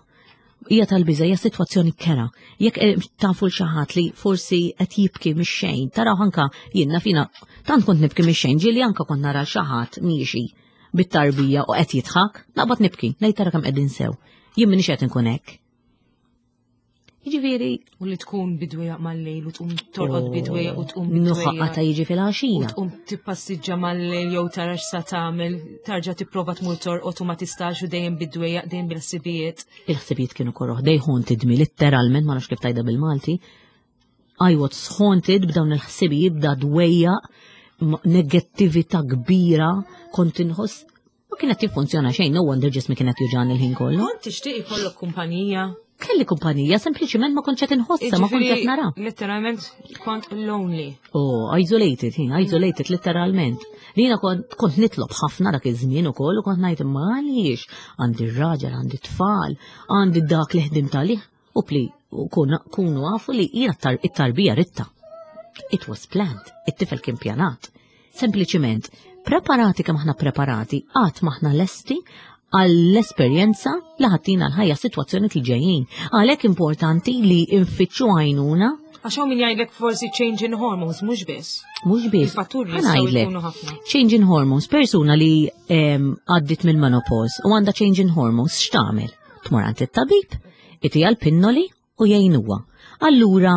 Hija tal-biża', hija sitwazzjoni kera. Jekk eh, tafu l xi ħadd li forsi qed jibki mix-xejn, taraw anka jiena fina tant kont nibki mix-xejn, ġieli anka kont nara xi ħadd miexi bit-tarbija u qed jidħak, naqbad nibki, ngħid tara kemm qegħdin sew. Jien m'iniex qed inkun hekk. Jiġifieri U li tkun bidwejja mal-lejl u tqum torqod bidwejja u tqum nuħaqqa bidwejja. Ta' jiġi U fil-għaxija. tqum tippassiġġa mal-lejl jew tara x'sa tagħmel, tarġa' tipprova tmur torqod u ma tistax u dejjem bidwejja, dejjem bil-ħsibijiet. Il-ħsibijiet kienu koroh, they haunted me, literalment, ma nafx kif tgħidha bil-Malti. I was haunted b'dawn il-ħsibijiet, b'da dwejja, negattività kbira, kont inħoss ma kienet jiffunzjona xejn, no wonder ġismi kienet juġgħani l-ħin kollu. Kont tixtieq ikollok kumpanija? Kelli kumpanija, sempliċiment ma kontx qed inħossha, ma kontx qed nara. Letteralment kont lonely. Oh, isolated, hi, isolated letteralment. Jiena kont, kont nitlob ħafna dak iż-żmien ukoll u kont ngħid, imma għaliex għandi r-raġel, għandi tfal, għandi dak li ħdimt għalih u pli u kunu għafu li jiena it-tarbija ridtha. It was planned, it-tifel kien pjanat. Sempliċiment, preparati kemm aħna preparati, qatt m'aħna lesti għall-esperjenza li ħa ttina l-ħajja, situazzjoni li ġejjin. Għalhekk importanti li nfittxu għajnuna. Għax hawn min jgħidlek forsi change in hormones, mhux biss. Mhux biss. Il-fatturi Ħa jistgħu ngħidlek, jkunu ħafna. Change in hormones, persuna li em, għaddit minn menopause u għandha change in hormones, x'tagħmel? Tmur għand it-tabib, itiha l-pinnoli u jgħinuha. Allura,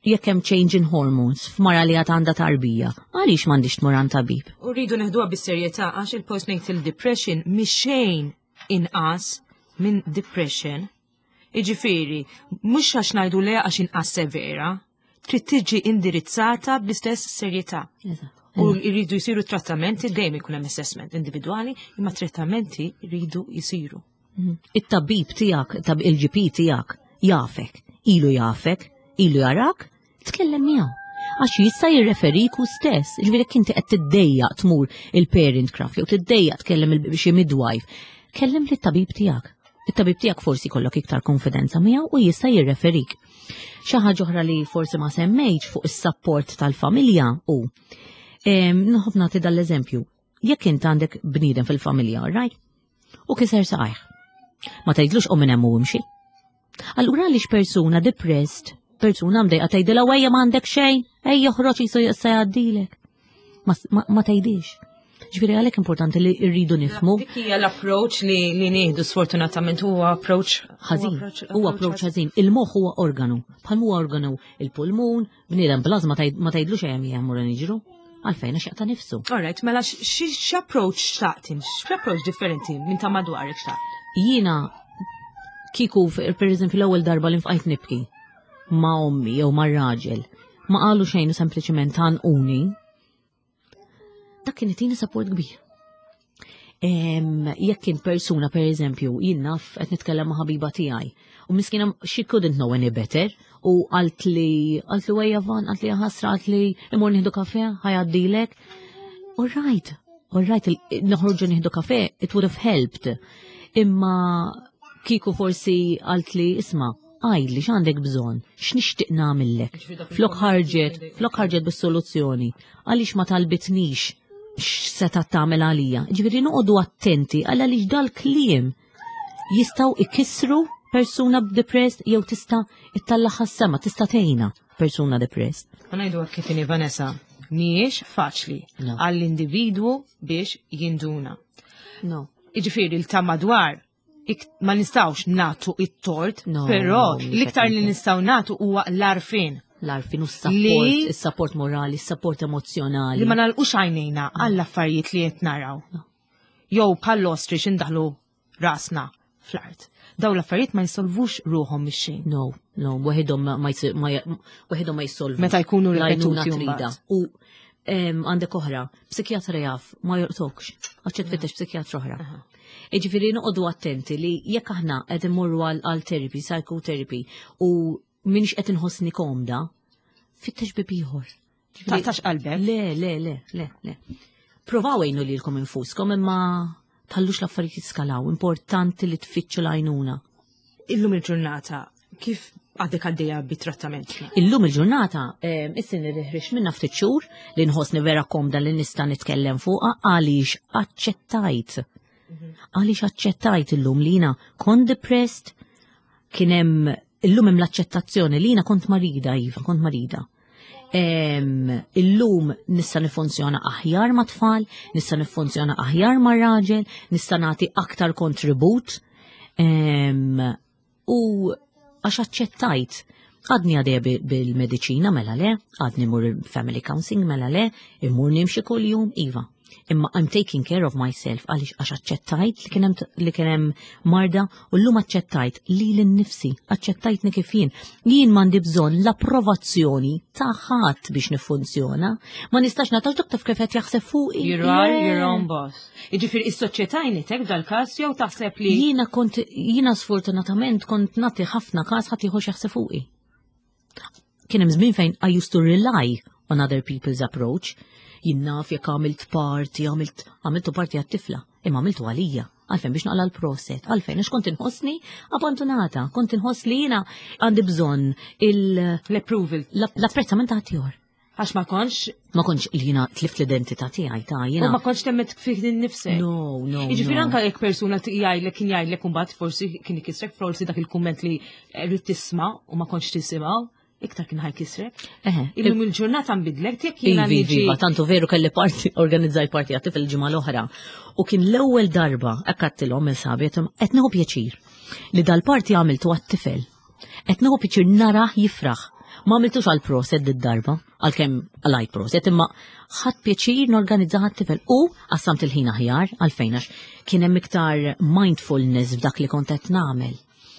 jekk hemm change in hormones f'mara li għad għandha tarbija, għaliex m'għandix tmur għand tabib? U rridu neħduha bis-serjetà għax il-postnatal depression mhix xejn inqas minn depression. Iġifieri, mhux għax ngħidu le għax inqas severa, trid tiġi indirizzata bl-istess serjetà. U jridu jsiru trattamenti, dejjem ikun hemm assessment individwali, imma trattamenti jridu jsiru. It-tabib tiegħek, tab il-G P tiegħek, jafek, ilu jafek, ilu jarak, tkellem miegħu. Għax jista' jirreferik hu stess. Ġifieri jekk inti qed tiddejjaq tmur il-parent craft jew tiddejjaq tkellem il- xi midwife, kellem lit-tabib tiegħek. It-tabib tiegħek forsi jkollok iktar konfidenza miegħu u jista' jirreferik. Xi ħaġa oħra li forsi ma semmejtx fuq is-support tal-familja u em, nħobb nagħti dal-eżempju. Jekk int għandek bniedem fil-familja, right? U kiser saqajh. Ma tgħidlux qum minn hemm u imxi. Allura għaliex persuna depressed, persuna mdejqa tgħidilha wejja m'għandek xejn, ejja oħroġ jisu se jgħaddilek. Ma, ma, ma tgħidix. Ġifieri għalhekk importanti li rridu nifhmu Dik hija l-approach li, li nieħdu sfortunatament huwa approach ħażin. Huwa approach ħażin. Il-moħħ huwa organu. Bħal huwa organu il-pulmun, bniedem bl-ażma ma tgħidlux ejja ejja mmorru niġru. Għalfejn? Għax jaqta' nifsu. Alright, mela x'approach xtaqt int? X'approach differenti minn ta' madwarek xtaqt? Jiena kieku per eżempju l-ewwel darba li nfqajt nibki ma' ommi jew ma' raġel, ma qalu xejn u sempliċement għannquni, dak kien itini support kbir. Em, Jekk kien persuna, per eżempju, jien naf qed nitkellem ma' ħabiba tiegħi u miskina she couldn't know any better u qalt li qalt li wejja Van, qalt li ħasra, qalt li imur nieħdu kafe, ħa jgħaddilek. All right, all right, il- noħorġu nieħdu kafe, it would have helped. Imma kieku forsi qalt li isma', għidli x'għandek bżonn, x'nixtieq nagħmillek. Flok ħarġet, flok ħarġet bis-soluzzjoni, għaliex ma talbitnix x'seta' tagħmel għalija? Ġifieri noqogħdu attenti għal għaliex dal-kliem jistgħu ikissru persuna depressed jew tista' ittellagħha s-sema, tista' tgħinha persuna depressed. Ħa ngħidu kif inhi, Vanessa, mhijiex faċli No. għall-individwu biex jinduna. No. Iġifieri l ta' madwar ik- ma nistgħux nagħtu it-tort, No, però mhux l-iktar li qed nistgħu nagħtu huwa l-għarfien. L-għarfien u s-support, Li- is-support morali, is-support emozjonali. Li ma nagħlqux għajnejna għall-affarijiet li qed naraw. No. Jew bħall-ostrich indaħlu rasna fl-art. Daw l-affarijiet ma jisolvux ruħhom mix-xejn. No, no, waħedhom ma ma jsi- ma waħedhom ma jissolvu. Meta jkunu L-għajnuna ripetuti trida. mbagħad. U em, għandek oħra, psikjatra jaf, ma jortokx, għax tfittex psikjatra oħra. Iġifieri noqogħdu attenti li jekk aħna qed immorru għal għal therapy, psychotherapy, u minix qed inħossni komda, fittex bib ieħor. Ġifieri- Taqtax qalbek. Le, le, le, le, le. Provaw għinu lilkom infuskom imma tħallux l-affarijiet jiskalaw, importanti li tfittxu l-għajnuna. Illum il-ġurnata kif għadek għaddejja bit-trattament? Illum il-ġurnata, issa ħriġt minna ftit xhur li nħossni vera komda li nista' nitkellem fuqha għaliex aċċettajt. Għaliex aċċettajt illum li jiena kont depressed, kien hemm illum hemm l-aċċettazzjoni li jiena kont marida, iva, kont marida. Em, Illum nista' nifunzjona aħjar ma' tfal, nista' nifunzjona aħjar ma' raġel, nista' nagħti aktar kontribut. Em, U Għax aċċettajt. Għadni għadej bil-mediċina mela le, għadni mmur family counseling mela le, immur nimxi kull-jum, iva. Imma I'm taking care of myself għaliex għax aċċettajt li kien hemm li kien hemm marda u llum aċċettajt lili nnifsi, aċċettajtni kif jien. Jien m'għandi bżonn l-approvazzjoni ta' ħadd biex nifunzjona. Ma nistax natax dak taf kif qed jaħseb fuqi. You are your own boss. Jiġifieri is-soċjetà għenitek f'dal-każ jew taħseb li Jiena kont jiena sfortunatament kont nagħti ħafna każ ħadd ieħor jaħseb fuqi. Kien hemm żmien fejn I used to rely on other people's approach. Jien naf jekk għamilt party, għamilt għamiltu party għat-tifla, imma għamiltu għalija. Għalfejn biex naqla l-proset, għalfejn għax kont inħossni abbandonata, kont inħoss li jiena għandi bżonn il- l-approval. l-apprezzament ta' ħaddieħor. Għax ma kontx Ma kontx li jiena tlift l-identità tiegħi ta' u jiena. ma kontx temmen fik innifsek. No, no. Jiġifieri no. anka jekk persuna jgħidlek kien jgħidlek imbagħad forsi kien ikissrek forsi dak il-kumment li rrid tisma' u ma kontx tisimgħu, iktar kien ħa jkissrek. Eħe. Illum il-ġurnata nbidlek jekk jiena Ivi, niġi. iva, tantu veru kelli party, organizzajt party għat-tifel il-ġimgħa l-oħra. U kien l-ewwel darba għedtilhom il-sħabi, qed nieħu pjaċir li dal-party għamiltu għat-tifel. Qed nieħu pjaċir narah jifraħ. Ma għamiltux għal proset d-darba, għalkemm għalajt proset, imma ħadt pjaċir norganizza għat-tifel. U qassamt il-ħin aħjar għalfejn għax kien hemm iktar mindfulness f'dak li kont qed nagħmel.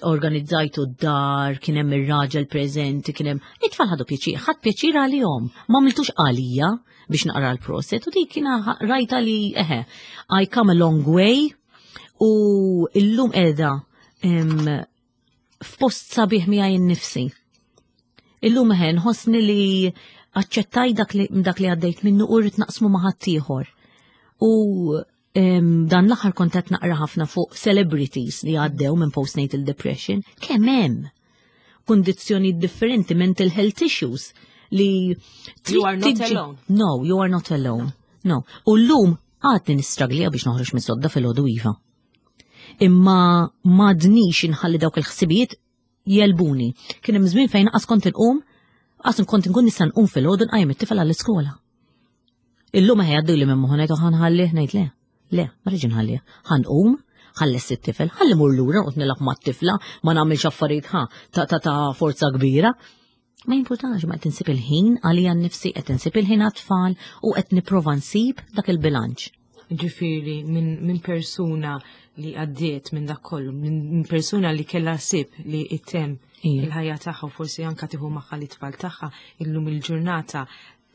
Organizzajtu d-dar, kien hemm ir-raġel preżenti, kien hemm it-tfal ħadu pjaċir, ħadt pjaċir għalihom. Ma għamiltux għalija biex naqra l-proset u dik kiena rajta li eħe, I come a long way u illum qiegħda em, f'post sabiħ miegħi nnifsi. Illum eħe nħossni li aċċettaj dak li, dak li għaddejt minnu u rrid naqsmu ma' ħaddieħor. U em, dan l-aħħar kont qed naqra ħafna fuq celebrities li għaddew minn postnatal depression, kemm hemm kundizzjoni differenti, mental health issues li You are not tiġi- alone. No, you are not alone. No. U llum għadni nistraglija biex noħroġ minn sodda fil-ħodu iva. Imma m'għadnix inħalli dawk il-ħsibijiet jegħlbuni. Kien hemm żmien fejn qas kont inqum, qas kont nkun nista' nqum fil-ħodu nqajjem it-tifel għall-iskola. Illum ħa jgħaddu li minn moħħu ngħid ħa nħallih ngħid le. Le, ma rridx nħallih. Ħa nqum, ħa nlesti t-tifel, ħalli mur lura noqgħod nilgħab mat-tifla, ma nagħmilx affarijiet ħa ta' ta' ta' forza kbira. Ma jimpurtax, ma qed insib il-ħin għalija nnifsi, qed insib il-ħin għat-tfal u qed nipprova nsib dak il-bilanċ. Ġifieri minn min persuna li għaddiet minn dak kollu, minn min persuna li kella sib li ittem Ija. il-ħajja tagħha u forsi anka tieħu magħha l-itfal tagħha illum il-ġurnata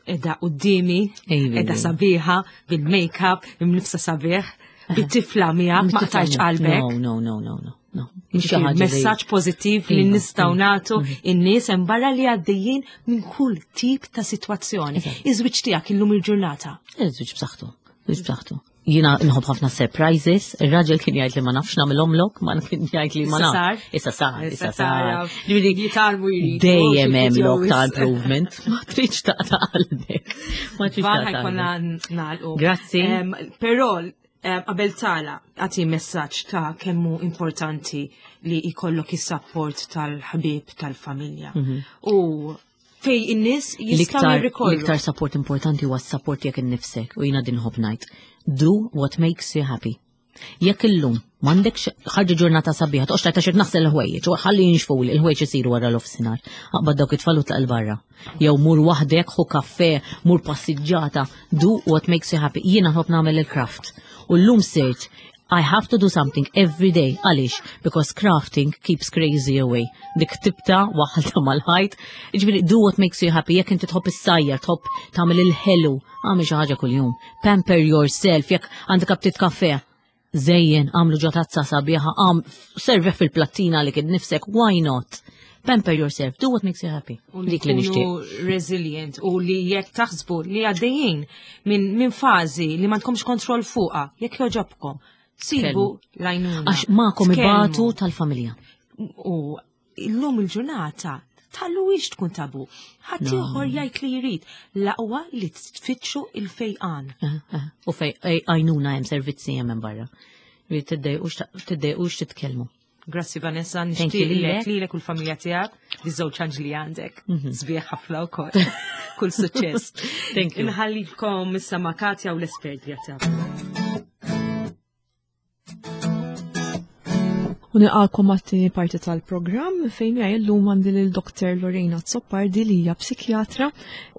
qiegħda quddiemi, Ejvi, qiegħda ejvi. sabiħa bil-make-up, imnifsa sabiħ, bit-tifla miegħek ma qtajtx qalbek. No, no, no, no, no. no. Mhux xi Ġifieri, ħaġa li- Messaġġ pożittiv li Iva, nistgħu iva. nagħtu in-nies hemm barra li għaddejjin minn kull tip ta' sitwazzjoni. Eżatt. Iż-żwieġ tiegħek illum il-ġurnata. Iż-żwieġ b'saħħtu, żwieġ b'saħħtu. Jiena nħobb ħafna surprises, ir-raġel kien jgħid li ma nafx nagħmilhomlok, ma kien jgħid li ma Issa nafx. sar. Issa sar, issa Issa sar. sar. Jitgħallmu jridu, Dejjem xi hemm lok ta' videos. improvement. Ma tridx taqta' qalbek. Ma tridx Van taqta' ħa jkollna qalbek. nagħlqu. Grazzi. Em, Però em, qabel tala għati messaġġ ta' kemmu importanti li jkollok is-support tal-ħabib tal-familja. U fej in-nies jistgħu L-iktar jirrikorru. l-iktar support importanti huwa s-support jekk innifsek u jiena din nħobb ngħid. Do what makes you happy. Jekk illum m'għandekx ħarġa ġurnata sabiħa, toqgħodx tgħid għax naħsel il-ħwejjeġ, u ħalli jinxfu li l-ħwejjeġ isiru wara l-ofsinhar. Aqbad dawk it-tfal u tlaq 'il barra. Jew mur waħdek, ħu kafè, mur passiġġata, do what makes you happy. Jiena nħobb nagħmel il-craft. U llum sirt I have to do something every day. Għaliex? Because crafting keeps crazy away. Dik tibta waħalta mal-ħajt. Ġifieri, do what makes you happy. Jekk inti tħobb issajjar, tħobb tagħmel il-ħelu, għamel xi ħaġa kuljum. Pamper yourself, jekk għandek aptit kafè. Żejjen, għamlu ġo tazza sabiħa, għam, serve fil-plattina li kien nifsek, why not? Pamper yourself, do what makes you happy. U li Dik li nixtieq. tkunu resilient u li jekk taħsbu li għaddejjin minn min fażi li ma tkomx kontroll fuqha, jekk joġobkom, sibu l-għajnuna. Għax magħkom Tkellmu. ibatu tal-familja. U illum il-ġurnata tħalluhiex tkun tabu. Ħadd ieħor jgħid li jrid l-aqwa li tfittxu il-fejqan. Eh, eh. U fej għajnuna hemm servizzi hemm minn barra. Li tiddejqux titkellmu. Grazzi Vanessa, Thank you nixtieq lilek lilek. lilek u l-familja tiegħek, biż-żewġ anġli għandek. Sbieħ ħafna wkoll. Kull suċċess. Thank you. Inħallikom issa ma' Katja u l-espert tiegħek. U nilqakom għat-tieni parti tal-programm fejn miegħi llum għandi lil Doctor Lorena Azzopardi, li hija psikjatra,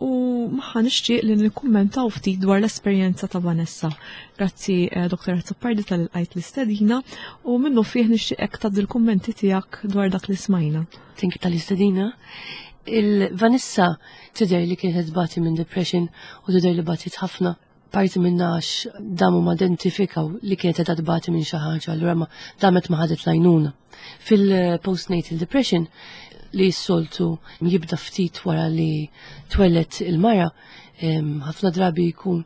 u magħha nixtieq li nikkummentaw ftit dwar l-esperjenza ta' Vanessa. Grazzi, eh, Doctor Azzopardi, talli lqajt l-istedina u minnufih nixtieqek tgħaddi l-kummenti tiegħek dwar dak li smajna. Thank you tal-istedina. Il-Vanessa tidher li kienet tbati minn depression u tidher li batit ħafna, parti minna għax damu ma identifikaw li kienet qed tbati minn xi ħaġa, allura ma damet ma ħadet l-għajnuna. Fil-postnatal depression, li s-soltu jibda ftit wara li twellet il-mara, ħafna drabi jkun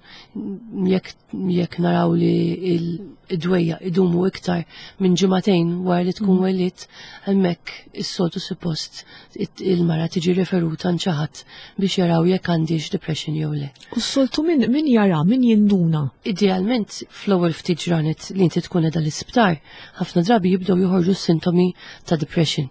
jekk jekk naraw li id-dwejjaq idumu iktar minn ġimagħtejn wara li tkun mm. wellidt, hemmhekk is-soltu suppost il-mara tiġi referuta għand xi ħadd biex jaraw jekk għandix depression jew le. U s-soltu min, min jara, min jinduna? Idealment fl-ewwel ftit ġranet li inti tkun qiegħda l-isptar, ħafna drabi jibdew joħorġu sintomi ta' depression.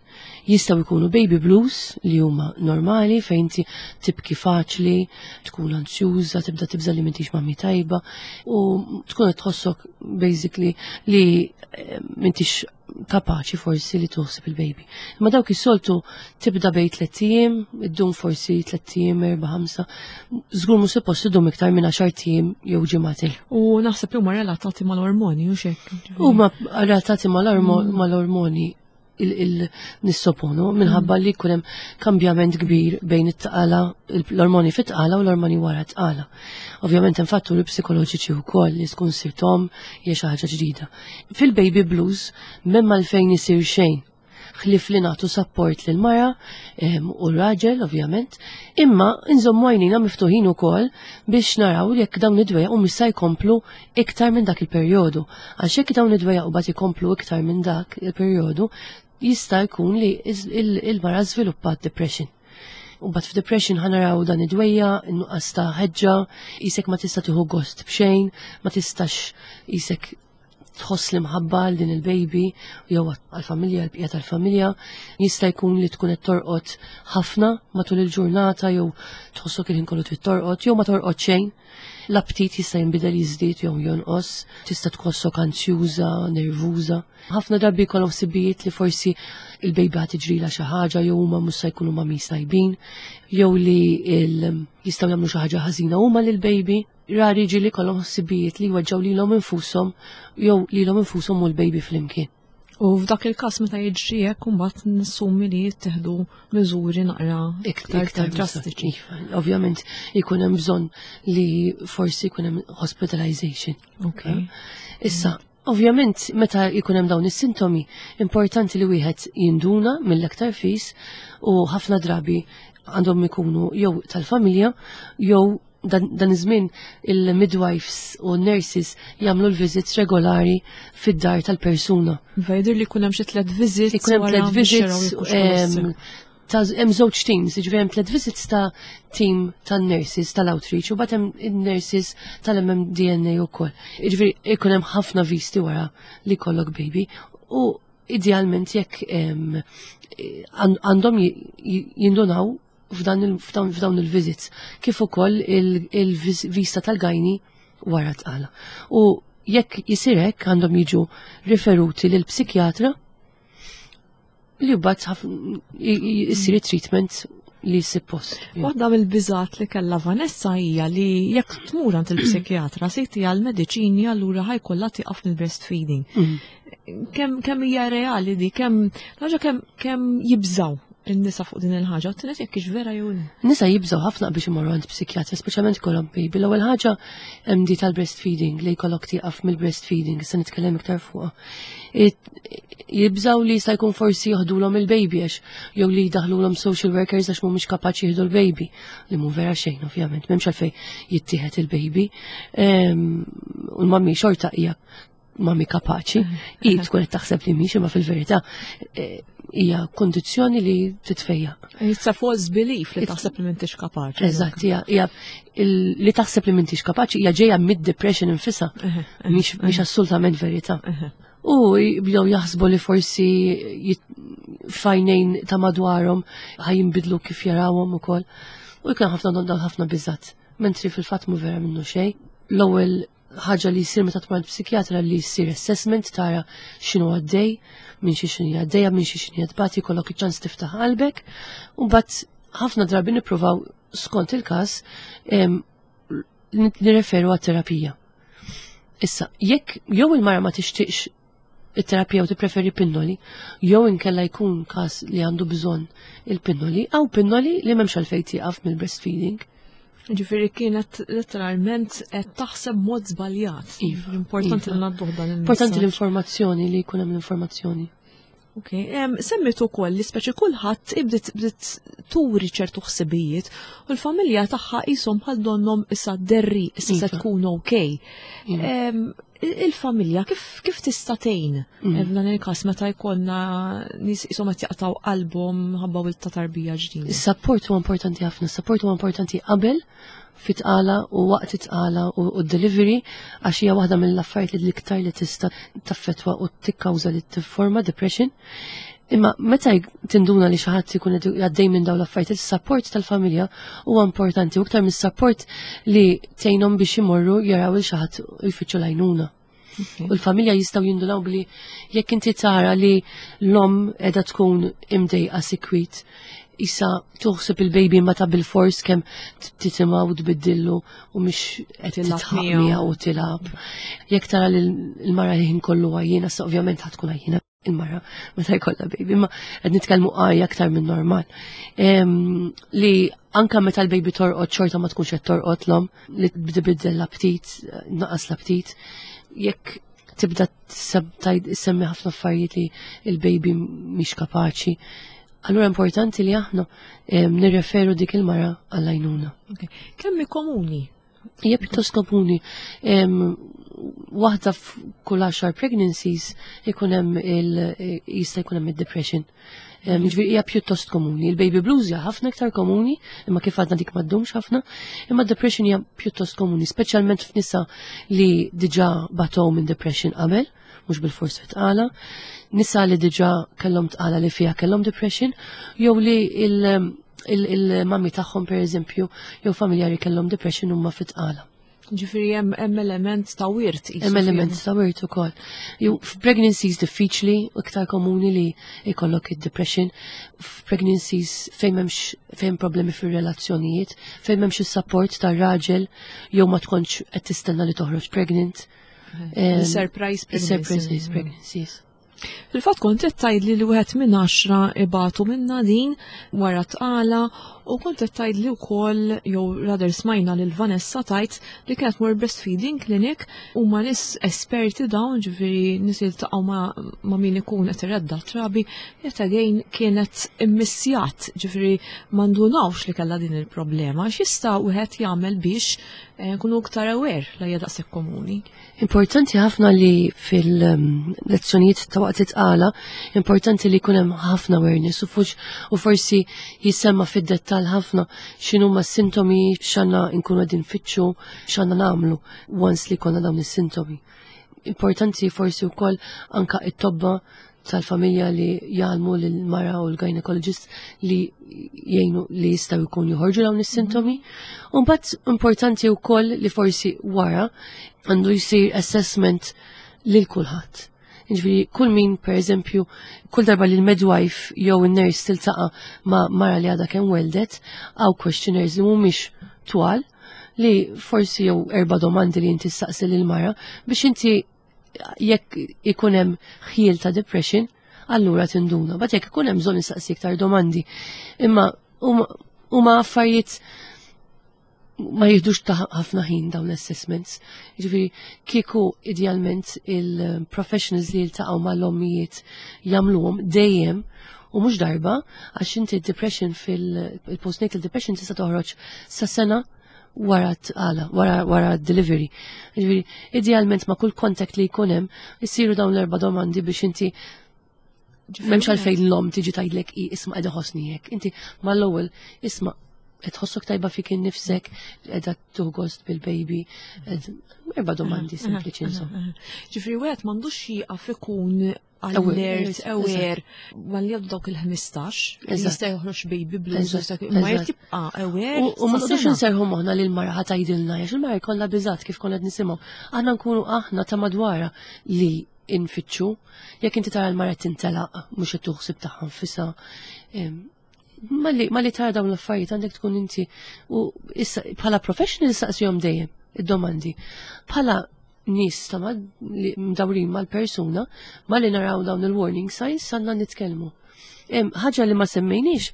Jistgħu jkunu baby blues, li huma normali, fejn inti tibki faċli, tkun ansjuża, tibda tibża li m'intix mami tajba u tkun qed tħossok basically li eh, m'intix kapaċi forsi li toħsib il-baby. Ma dawk is-soltu tibda bejn tliet ijiem, iddum forsi tliet ijiem, erba', ħamsa, żgur mhux suppost idum iktar minn għaxart ijiem jew ġimagħtejn. U naħseb li huma relatati mal-ormoni u xek. Huma relatati mal-ormoni il-nissoponu minħabba li jkun hemm kambjament kbir bejn it-tqala, l-ormoni fit-tqala u l-ormoni wara t-tqala. Ovvjament hemm fatturi psikoloġiċi wkoll, li tkun sirt omm hija xi ħaġa ġdida. Fil-baby blues m'hemm għalfejn isir xejn ħlif li nagħtu support lil mara u raġel ovvjament, imma nżommu għajnina miftuħin ukoll biex naraw jekk dawn id-dwejjaq u se jkomplu iktar minn dak il-perjodu. Għax jekk dawn id-dwejjaq u mbagħad ikomplu iktar minn dak il-perjodu, jista' jkun li il-mara żviluppat depression. U mbagħad f'depression ħa naraw dan id-dwejjaq, in-nuqqas ta' ħeġġa, qisek ma tista' tieħu gost b'xejn, ma tistax qisek tħoss li mħabba għal din il-baby jew għal-familja, l-bqija tal-familja. Jista' jkun li tkun qed torqod ħafna matul il-ġurnata jew tħossok il-ħin kollu trid torqod jew ma torqod xejn. L-aptit jista' jinbidel, jiżdied jew jonqos, tista' tħossok ansjuża, nervuża. Ħafna drabi jkollhom ħsibijiet li forsi il-baby ħa tiġrilha xi ħaġa jew huma mhux se jkunu mami tajbin, jew li jistgħu jagħmlu xi ħaġa ħażina huma lill-baby. Rari ġieli kollhom ħsibijiet li jweġġgħu lilhom infushom jew lilhom infushom u l-baby flimkien. U f'dak il-każ meta jiġri hekk, imbagħad nassumi li jittieħdu miżuri naqra iktar drastiċi. Iva, ovvjament jkun hemm bżonn li forsi jkun hemm hospitalization. Okay. Issa, ovvjament meta jkun hemm dawn is-sintomi, importanti li wieħed jinduna mill-aktar fis, u ħafna drabi għandhom ikunu jew tal-familja jew dan, dan iż-żmien il-midwives u nurses jagħmlu l-visits regolari fid-dar tal-persuna. Jidher li jkun hemm xi tliet visits. Ikun hemm tliet visits, ta' hemm żewġ teams, jiġifieri hemm tliet visits ta' team tan-nurses tal-outreach u mbagħad hemm in-nurses tal-M M D N A wkoll. Jiġifieri ikun hemm ħafna visti wara li jkollok baby u idealment jekk għandhom jindunaw f'dawn il-visits, kif ukoll il-vista tal-gynae wara tqala. U jekk jisir hekk, għandhom jiġu riferuti lil psikjatra li mbagħad jisir treatment li suppost. Waħda mill-biżat li kellha Vanessa hija li jekk tmur għand il-psikjatra se jtiha l-mediċini, allura ħa jkollha tieqaf mill-breastfeeding. Mm. Kemm kemm hija reali di, kemm ħaġa kemm kemm jibżaw in-nisa fuq din il-ħaġa, u t jekk vera jew le? Nisa jibżaw ħafna biex imorru għand psikjatra, speċjalment kollhom baby. L-ewwel ħaġa hemm di tal-breastfeeding, li jkollok tieqaf mill-breastfeeding, issa nitkellem iktar fuqha. Jibżaw li jista' jkun forsi joħdulhom il-baby għax jew li jdaħlulhom social workers għax mhumiex kapaċi jieħdu l-baby. Li mhu vera xejn ovvjament, m'hemmx għalfejn jittieħed il-baby. U l-mami xorta hija mami kapaċi, i tkun qed taħseb li mhix, imma fil-verità eh, hija kondizzjoni li titfejjaq. It's a false belief li taħseb li m'intix kapaċi. Eżatt, hija li taħseb li m'intix kapaċi hija ġejja mid-depression infisha, mhix assolutament verità. U jibdew jaħsbu li forsi f'għajnejn ta' madwarhom ħa jinbidlu kif jarawhom ukoll. U jkun ħafna dawn ħafna biżat. Mentri fil-fatt mu vera minnu xejn. L-ewwel Ħaġa li jsir meta tmur psikjatra li jsir assessment, tara x'inhu għaddej, minn xi x'inhi għaddejja, minn xi x'inhi tbati, jkollok iċ-ċans tiftaħ qalbek, u mbagħad ħafna drabi nippruvaw, skont il-każ, nirreferu għat-terapija. Issa, jekk jew il-mara ma tixtieqx it-terapija u tippreferi pinnoli, jew inkella jkun każ li għandu bżonn il-pinnoli, aw pinnoli li m'hemmx għalfejn tieqaf mill-breastfeeding. Ġifieri kienet letteralment qed taħseb mod żbaljat. Iva, Importanti iva. li ngħadduh dan il Importanti l-informazzjoni, li jkun hemm l-informazzjoni. Ok, em, semmit ukoll li speċi kulħadd ibdiet bdiet turi ċertu ħsibijiet u l-familja tagħha qishom bħal donnhom issa derri, issa se Iva. tkun ok. Iva. Em, Il-familja kif kif tista' tgħin Mm. f'dan il-każ meta jkollna nies qishom qed jaqtaw qalbhom ħabba wild ta' tarbija ġdida? Is-support huwa importanti ħafna, is-support huwa importanti qabel, fit-tqala u waqt it-tqala u u delivery, għax hija waħda mill-affarijiet li l-iktar li tista' taffetwa u tikkawża li tifforma depression. Imma meta jg- tinduna li xi ħadd ikun qed għaddej minn dawn l-affarijiet, is-support tal-familja huwa importanti, u iktar mis-support li tgħinhom biex imorru jaraw il xi ħadd u jfittxu l-għajnuna. U l-familja jistgħu jindunaw bli jekk inti tara li l-om qiegħda tkun imdejqa sikwit, issa tuħseb il-baby ma ta' bil-fors kemm titimgħu u tbiddillu u mhix qed Tilgħab titħaq miegħu. miegħu u tilgħab. Jekk tara li l-mara li ħin kollu għajjiena, sa ovvjament ħa tkun għajjiena il-mara meta jkollha baby, imma qed nitkellmu għajja aktar minn normal. Em, li anka meta l-baby torqod xorta ma tkunx qed torqod l-om, li tbiddel l-aptit, naqas l-aptit, jekk tibda tseb- tajd- semmi ħafna affarijiet li il-baby mhix kapaċi. Allura importanti li aħna em, nirreferu dik il-mara għall-għajnuna. Ok. Kemm hi komuni? Hija pjuttost komuni. Em, Waħda f'kull għaxar pregnancies ikun hemm il jista' jkun hemm id-depression. Em, Jiġifieri hija pjuttost komuni. Il-baby blues hija ħafna iktar komuni, imma kif għadna dik ma ddumx ħafna, imma depression hija pjuttost komuni, speċjalment f'nisa li diġà batow minn depression qabel, mhux bil-fors fit-tqala, nisa li diġà kellhom tqala li fiha kellhom depression, jew li il- il- il-mami tagħhom, per eżempju, jew familjari kellhom depression huma fit-tqala. Ġifieri hemm hemm element ta' wirt qisu Hemm element fih. ta' wirt ukoll. Jew f'pregnancies diffiċli u iktar komuni li jkollok id-depression, f'pregnancies fejn m'hemmx fejn problemi fir-relazzjonijiet, fejn m'hemmx is-support tar-raġel jew ma tkunx qed tistenna li toħroġ pregnant. Em, Surprise Surprise pregnancy. pregnancies. Fil-fatt kont qed tgħidli li wieħed minn għaxra ibatu minna din wara tqala u kont qed tgħidli wkoll, jew rather smajna lil Vanessa tgħid li kienet tmur breastfeeding clinic, u ma nies esperti dawn, ġifieri nies jiltaqgħu ma, ma min ikun qed iredda trabi, yet again kienet immissjat, ġifieri ma ndunawx li kellha din il-problema. X'jista' wieħed jagħmel biex eh, nkunu iktar aware la hija daqshekk komuni? Importanti ħafna li fil-lezzjonijiet ta' waqt it-tqala, importanti li jkun hemm ħafna awareness u fux u forsi jisemma fid-dettal ħafna x'inhuma s-sintomi, x'għandna nkunu qegħdin nfittxu, x'għandna nagħmlu once li jkollna dawn is-sintomi. Importanti forsi wkoll anka it-tobba tal-familja li jgħallmu lill-mara u l-gynecologist li jgħinu li jistgħu jkun joħorġu dawn is-sintomi. U mbagħad importanti wkoll li forsi wara għandu jsir assessment lil kulħadd. Ġifieri kull min, per eżempju, kull darba li l-midwife jew in-nurse tiltaqa' ma' mara li għadha kemm weldet, hawn questionnaires li mhumiex twal, li forsi jew erba' domandi li inti staqsi lil mara biex inti jekk ikun hemm ħjiel ta' depression, allura tinduna. But jekk ikun hemm bżonn nistaqsi iktar domandi. Imma huma huma affarijiet ma jihdux ta' ħafna ħin dawn l-assessments. Ġifieri kieku idealment il-professionals li jiltaqgħu mal-ommijiet jagħmluhom dejjem u mhux darba, għax inti depression fil-postnatal depression tista' toħroġ sa sena wara tqala, wara, wara delivery. Ġifieri idealment ma' kull contact li jkun hemm isiru dawn l-erba' domandi biex inti m'hemmx għalfejn l-om tiġi tgħidlek i isma' qiegħda ħossni hekk. Inti mal-ewwel, isma', qed tħossok tajba fik innifsek, qiegħda tieħu gost bil-baby, erba' domandi sempliċi insomma. Ġifieri wieħed m'għandux jieqaf ikun alert, aware, malli jgħaddu dawk il-ħmistax, jista' joħroġ baby blues, ma jrid jibqa' aware. U ma noqgħodux inserħu moħħna li l-mara ħa tgħidilna, għax il-mara jkollha biżat kif konna qed nisimgħu. Aħna nkunu aħna ta' madwarha li infittxu. Jekk inti tara l-mara tintelaq mhux qed tuħsib tagħha nfisha. Malli tara dawn l-affarijiet għandek tkun inti u issa bħala professional saqsihom dejjem id-domandi. Bħala nies ta' mdawrin mal-persuna, malli naraw dawn il-warning signs, għandna nitkellmu. Ħaġa li ma semmejniex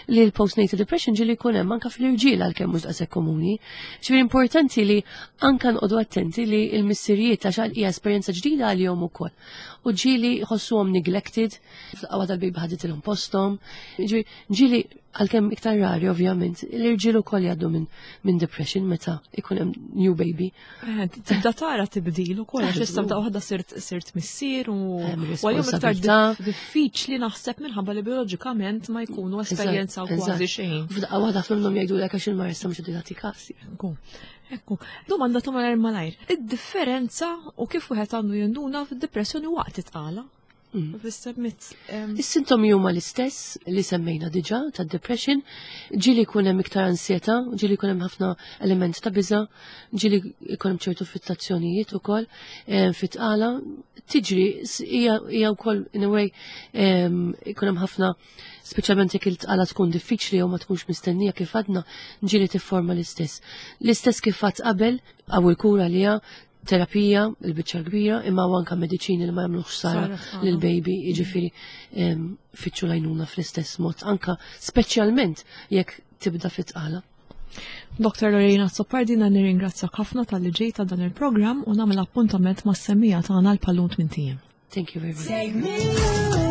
li l-postnatal depression ġieli jkun hemm anka fl-irġiel għalkemm mhux daqshekk komuni. Ġifieri importanti li anka nqogħdu attenti li l-missirijiet għax hija esperjenza ġdida għalihom ukoll. U ġieli jħossuhom neglected, fl-qawwa tal-baby ħaditilhom posthom. Ġifieri ġieli għalkemm iktar rari ovvjament, l-irġiel ukoll jgħaddu minn min depression meta ikun hemm new baby. Eh, tibda tara tibdil ukoll għax issa bda waħda sirt sirt missier u għalihom iktar diffiċli naħseb minħabba li bioloġikament ma jkunu esperjenza kważi xejn. F'daqqa waħda minnhom jgħidulek għax il-mara issa mhux qed tagħti kasi. Ekku. Ekku, domanda ta' malajr malajr. Id-differenza u kif wieħed għandu jinduna fid-depressjoni waqt it-tqala? Mm. Is-sintomi huma l-istess li semmejna diġà tad-depression, ġieli jkun hemm iktar ansjetà, ġieli jkun hemm ħafna element ta' biża', ġieli jkun hemm ċertu fittazzjonijiet ukoll fit-tqala. Tiġri hija wkoll in a way ikun hemm ħafna, speċjalment jekk il-tqala tkun diffiċli jew ma tkunx mistennija kif għadna, ġieli tifforma l-istess. L-istess kif għadt qabel, għaw il-kura li hija terapija, il-biċċa kbira, imma anka mediċini li ma jagħmlux ħsara lill-baby, jiġifieri fittxu l-għajnuna fl-istess mod, anka speċjalment jekk tibda fit-tqala. Doktor Lorena Azzopardi, nirringrazzjak ħafna talli ġejta dan il-programm u nagħmel appuntament mas-semmiegħa tagħna l-pallunt minn tiem. Thank you very much. Take me away.